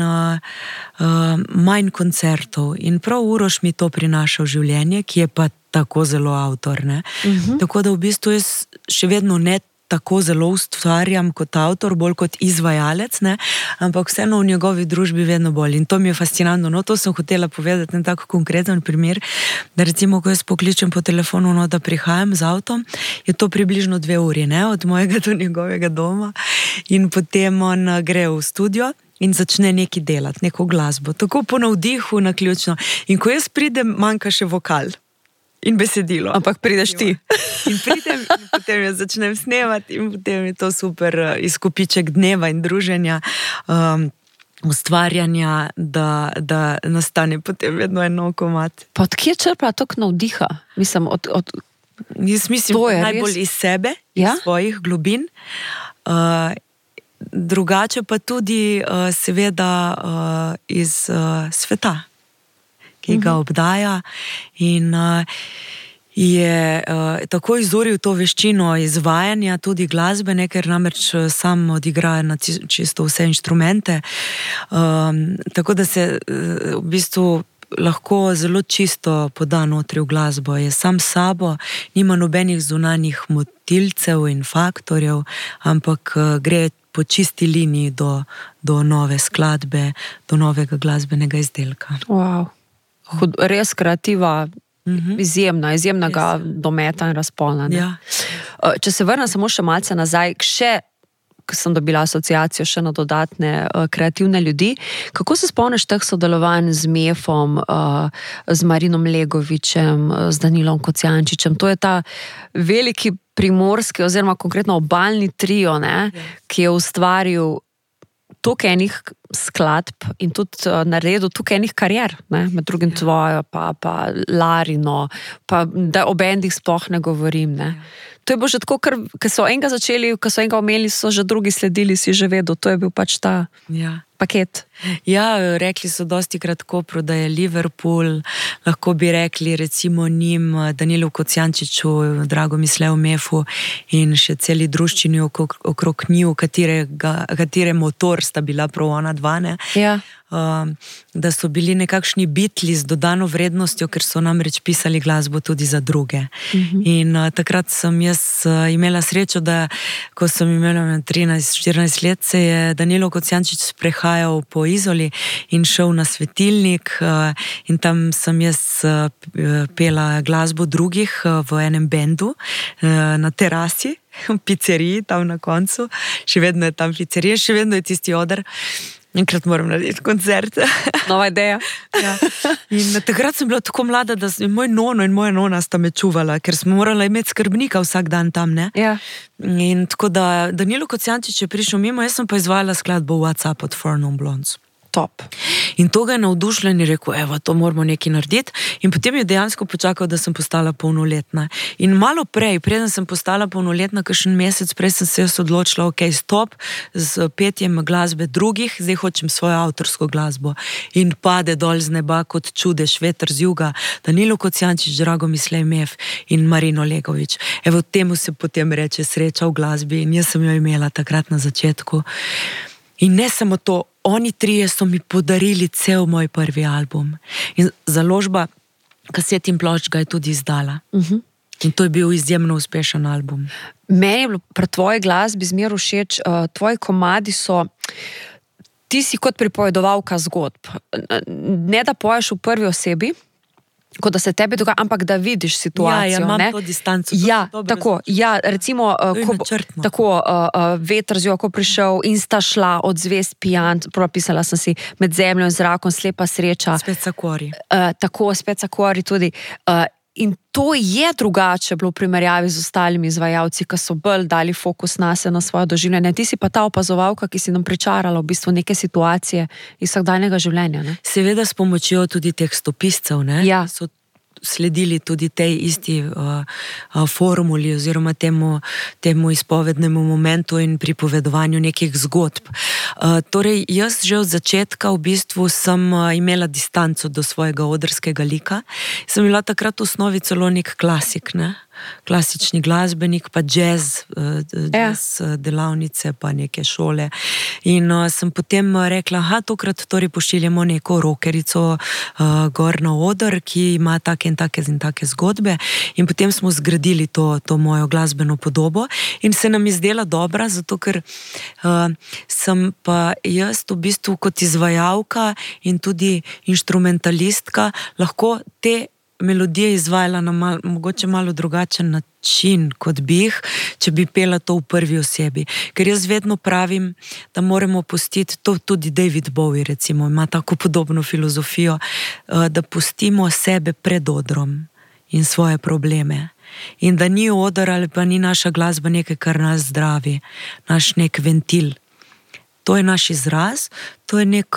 manj koncertov. In prav Uroš mi to prinaša v življenje, ki je pa tako zelo avtor, ne. Tako da v bistvu jaz še vedno ne tako zelo ustvarjam kot avtor, bolj kot izvajalec, ne, ampak vseeno v njegovi družbi vedno bolj. In to mi je fascinantno. No, to sem hotela povedati na tako konkreten primer, da recimo, ko jaz pokličem po telefonu, no, da prihajam z avtom, je to približno 2 uri, ne, od mojega do njegovega doma in potem on gre v studio in začne nekaj delati, neko glasbo. Tako po navdihu, naključno. In ko jaz pridem, manjka še vokal. In besedilo. Ampak prideš ti. In pridem in potem jaz začnem snemati in potem je to super izkupiček dneva in druženja, ustvarjanja, da nastane potem vedno eno komad. Pa od kje črpa toliko navdiha? Mislim, jaz mislim, najbolj iz sebe, ja? Iz svojih globin. Drugače pa tudi seveda iz sveta, ki ga obdaja in je tako izuril to veščino izvajanja, tudi glasbene, ker namreč sam odigraja na čisto vse inštrumente, tako da se v bistvu lahko zelo čisto poda notri v glasbo, je sam s sabo, nima nobenih zunanjih motilcev in faktorjev, ampak gre po čisti liniji do nove skladbe, do novega glasbenega izdelka. Wow. Res kreativa, izjemnega dometa in razpona. Ja. Če se vrnem samo še malce nazaj, ko sem dobila asociacijo še na dodatne kreativne ljudi, kako se spomniš teh sodelovanj z Mefom, z Marinom Legovičem, z Danilom Kocijančičem? To je ta veliki primorski oziroma konkretno obalni trio, ne, ki je ustvaril toliko enih skladb in tudi naredil toliko enih karier, ne? Med drugim tvojo, pa Larino, pa da o bendih sploh ne govorim. Ne? To je bilo že tako, ker so enega začeli, ko so enega omeli, so že drugi sledili, si že vedel, to je bil pač ta paket. Ja, rekli so dostikrat Kopru, da je Liverpool, lahko bi rekli recimo njim, Danilu Kocijančiču, Dragomisleju Mefu in še celi druščini okrog njiju, katere motor sta bila prav ona dva, ne? Ja. Da so bili nekakšni Beatli z dodano vrednostjo, ker so namreč pisali glasbo tudi za druge. In takrat sem jaz imela srečo, da ko sem imela 13-14 let, se je Danilo Kocijančič sprehajal po Izoli in šel na svetilnik in tam sem jaz pela glasbo drugih v enem bendu na terasi, v pizzeriji tam na koncu. Še vedno je tam pizzerija, še vedno je tisti oder. Enkrat moram narediti koncert. Nova ideja. Ja. In takrat sem bila tako mlada, da moj nono in moja nona sta me čuvala, ker smo morali imeti skrbnika vsak dan tam, ne? Ja. In tako da Danilo Kocijančič je prišel mimo, jaz sem pa izvajala skladbo What's Up od Four Non Blondes. Top. In to ga je navdušilo in je rekel, evo, to moramo nekaj narediti. In potem je dejansko počakal, da sem postala polnoletna. In malo prej, preden sem postala polnoletna, kakšen mesec prej sem se jaz odločila, ok, stop z petjem glasbe drugih, zdaj hočem svojo avtorsko glasbo. In pade dol z neba kot čudež, veter z juga, Danilo Kocijančič, Dragomislej Mef in Marino Legovič. Evo, temu se potem reče sreča v glasbi in jaz sem jo imela takrat na začetku. In ne samo to, oni trije so mi podarili cel moj prvi album. In založba Kaset in plošč ga je tudi izdala. In to je bil izjemno uspešen album. Meni je bilo pri tvoji glasbi zmer všeč, tvoji komadi so, ti si kot pripovedovalka zgodb. Ne da poješ v prvi osebi, kot da se tebi dogaja, ampak da vidiš situacijo. Ja, imam to distanco. Ja, tako, ja, recimo, tako, veter z ko prišel in sta šla od zvest pijan, propisala sem si Med zemljo in zrakom, Slepa sreča. Spet Sakori. Tako, Spet Sakori tudi. In to je drugače bilo v primerjavi z ostalimi izvajalci, ki so bolj dali fokus na svoje doživljanje. Ti si pa ta opazovalka, ki si nam pričarala v bistvu neke situacije iz vsakdanjega življenja, ne? Seveda s pomočjo tudi teh stopiscev, ne? Ja. So sledili tudi tej isti formuli oziroma temu izpovednemu momentu in pripovedovanju nekih zgodb. Torej, jaz že od začetka v bistvu sem imela distanco do svojega odrskega lika. Sem bila takrat v osnovi celo nek klasik, ne? Klasični glasbenik, pa jazz delavnice, pa neke šole. In sem potem rekla, tokrat torej pošiljamo neko rokerico gor na oder, ki ima take in take zgodbe. In potem smo zgradili to mojo glasbeno podobo in se nam izdela dobra, zato ker sem pa jaz v bistvu kot izvajalka in tudi inštrumentalistka lahko te melodije izvajala na mogoče malo drugačen način, kot bi jih, če bi pela to v prvi osebi. Ker jaz vedno pravim, da moramo pustiti, to tudi David Bowie recimo, ima tako podobno filozofijo, da pustimo sebe pred odrom in svoje probleme. In da ni odor ali pa ni naša glasba nekaj, kar nas zdravi, naš nek ventil. To je naš izraz, to je nek,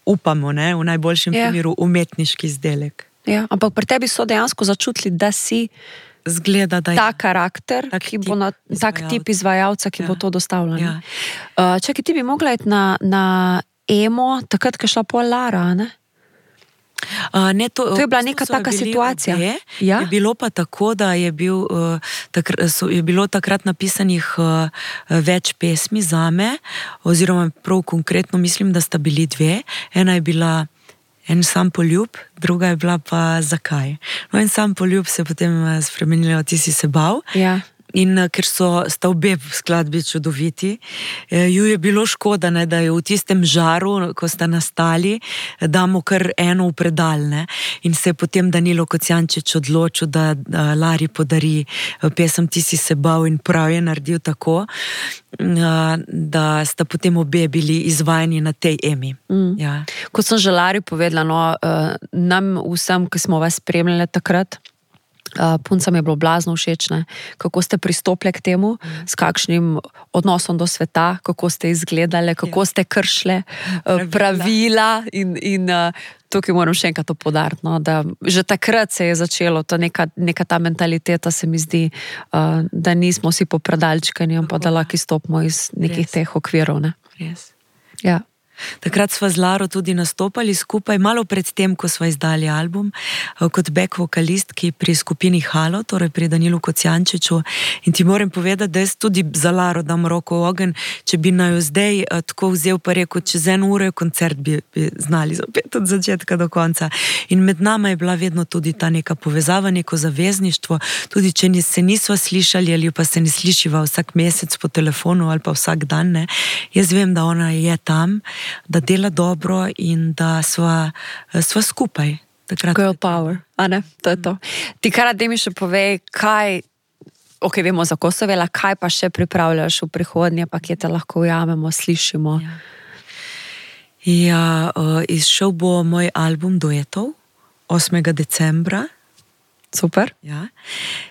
upamo, ne, v najboljšem primeru umetniški izdelek. Ja, ampak pri tebi so dejansko začutili, da si zgleda, da je ta karakter, tak tip izvajalca, ki bo to dostavljal. Ja. Čakaj, ti bi mogla iti na emo, takrat, ko je šla pol Lara, ne? Ne, to je bila neka taka situacija. Je bilo pa tako, da je bilo takrat napisanih več pesmi zame, oziroma prav konkretno mislim, da sta bili dve. Ena je bila En sam poljub, druga je bila pa Zakaj. No, En sam poljub se je potem spremenila, Ti si se bal. Ja. In ker sta obe skladbi čudoviti, ju je bilo škoda, ne, da je v tistem žaru, ko sta nastali, damo kar eno v predal, ne. In se je potem Danilo Kocijančič odločil, da Lari podari pesem Ti si se bal in prav je naredil tako, da sta potem obe bili izvajani na tej emi. Ja. Kot sem že Lari povedala, no, nam vsem, ki smo vas spremljali takrat, puncam je bilo blazno všečne, kako ste pristopili k temu, s kakšnim odnosom do sveta, kako ste izgledali, kako ste kršile pravila in tukaj moram še enkrat to poudariti, no, da že takrat se je začelo, to neka ta mentaliteta se mi zdi, da nismo vsi popredalčkani, ampak da lahko izstopimo iz nekih teh okvirov, ne. Res. Ja. Takrat sva z Laro tudi nastopali skupaj, malo pred tem, ko sva izdali album, kot back vokalistki pri skupini Halo, torej pri Danilu Kocijančiču. In ti moram povedati, da jaz tudi za Laro dam roko v ogenj, če bi naju zdaj tako vzel pa rekel, čez 1 uro je koncert, bi znali zapet od začetka do konca. In med nama je bila vedno tudi ta neka povezava, neko zavezništvo, tudi če se nisva slišali ali pa se ne slišiva vsak mesec po telefonu ali pa vsak dan, ne. Jaz vem, da ona je tam, da dela dobro in da sva skupaj. Girl power, a ne? To je to. Ti kar da mi še povej, kaj, vemo za Kosovela, kaj pa še pripravljaš v prihodnje, pa kje te lahko ujamemo, slišimo? Izšel bo moj album duetov 8. decembra. Super. Ja.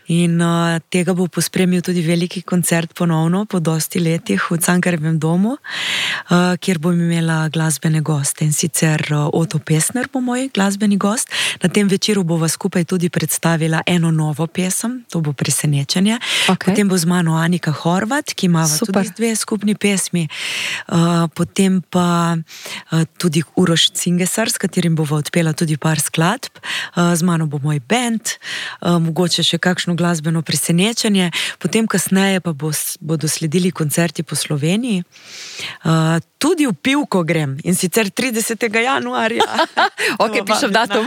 In tega bo pospremil tudi veliki koncert ponovno, po dosti letih v Cankarjevem domu, kjer bom imela glasbene goste. In sicer Oto Pestner bo moj glasbeni gost. Na tem večeru bova skupaj tudi predstavila eno novo pesem, to bo Presenečenje. Okay. Potem bo z mano Anika Horvat, ki ima tudi 2 skupni pesmi. Potem pa tudi Uroš Cingesar, s katerim bova odpela tudi par skladb. Z mano bo moj band, mogoče še kakšno glasbeno presenečenje, potem kasneje pa bodo sledili koncerti po Sloveniji. Tudi v Pivko grem, in sicer 30. januarja. Pišem datum.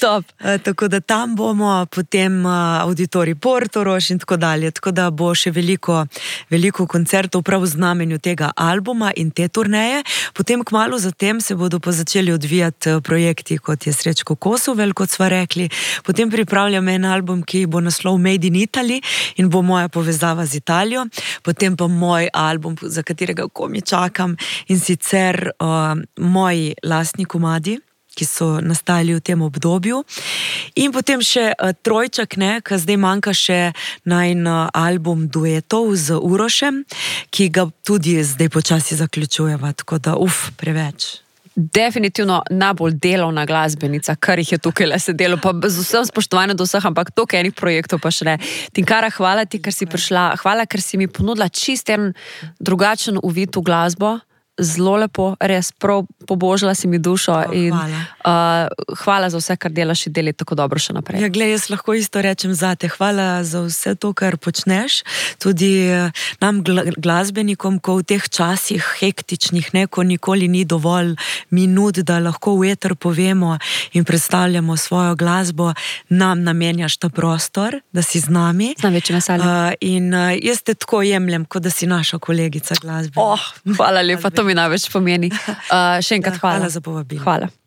Top. Tako da tam bomo, potem auditorij Portorož in tako dalje, tako da bo še veliko koncertov prav v znamenju tega albuma in te turneje. Potem kmalu zatem se bodo pa začeli odvijati projekti, kot je Srečko Kosovel, kot sva rekli. Potem pripravljam en album, ki bo naslov Made in Italy in bo moja povezava z Italijo. Potem pa moj album, za katerega komi čakam, in sicer moji lastni komadi, ki so nastajali v tem obdobju. In potem še trojček, ki zdaj manjka še najin album duetov z Urošem, ki ga tudi zdaj počasi zaključujeva, tako da preveč. Definitivno najbolj delovna glasbenica, kar jih je tukaj le sedelo, pa z vsem spoštovanjem do vseh, ampak toliko enih projektov pa še ne. Tinkara, hvala ti, ker si prišla, hvala, ker si mi ponudila čist en drugačen uvid v glasbo, zelo lepo, res prav pobožila si mi dušo in hvala za vse, kar delaš in deli tako dobro še naprej. Ja, glej, jaz lahko isto rečem zate, hvala za vse to, kar počneš, tudi nam glasbenikom, ko v teh časih hektičnih, ko nikoli ni dovolj minut, da lahko v eter povemo in predstavljamo svojo glasbo, nam namenjaš ta prostor, da si z nami. Z največjim veseljem. In jaz te tako jemljem, kot da si naša kolegica glasbenika. Hvala lepa, to mi največ pomeni. Še enkrat hvala. Hvala za povabilo. Hvala.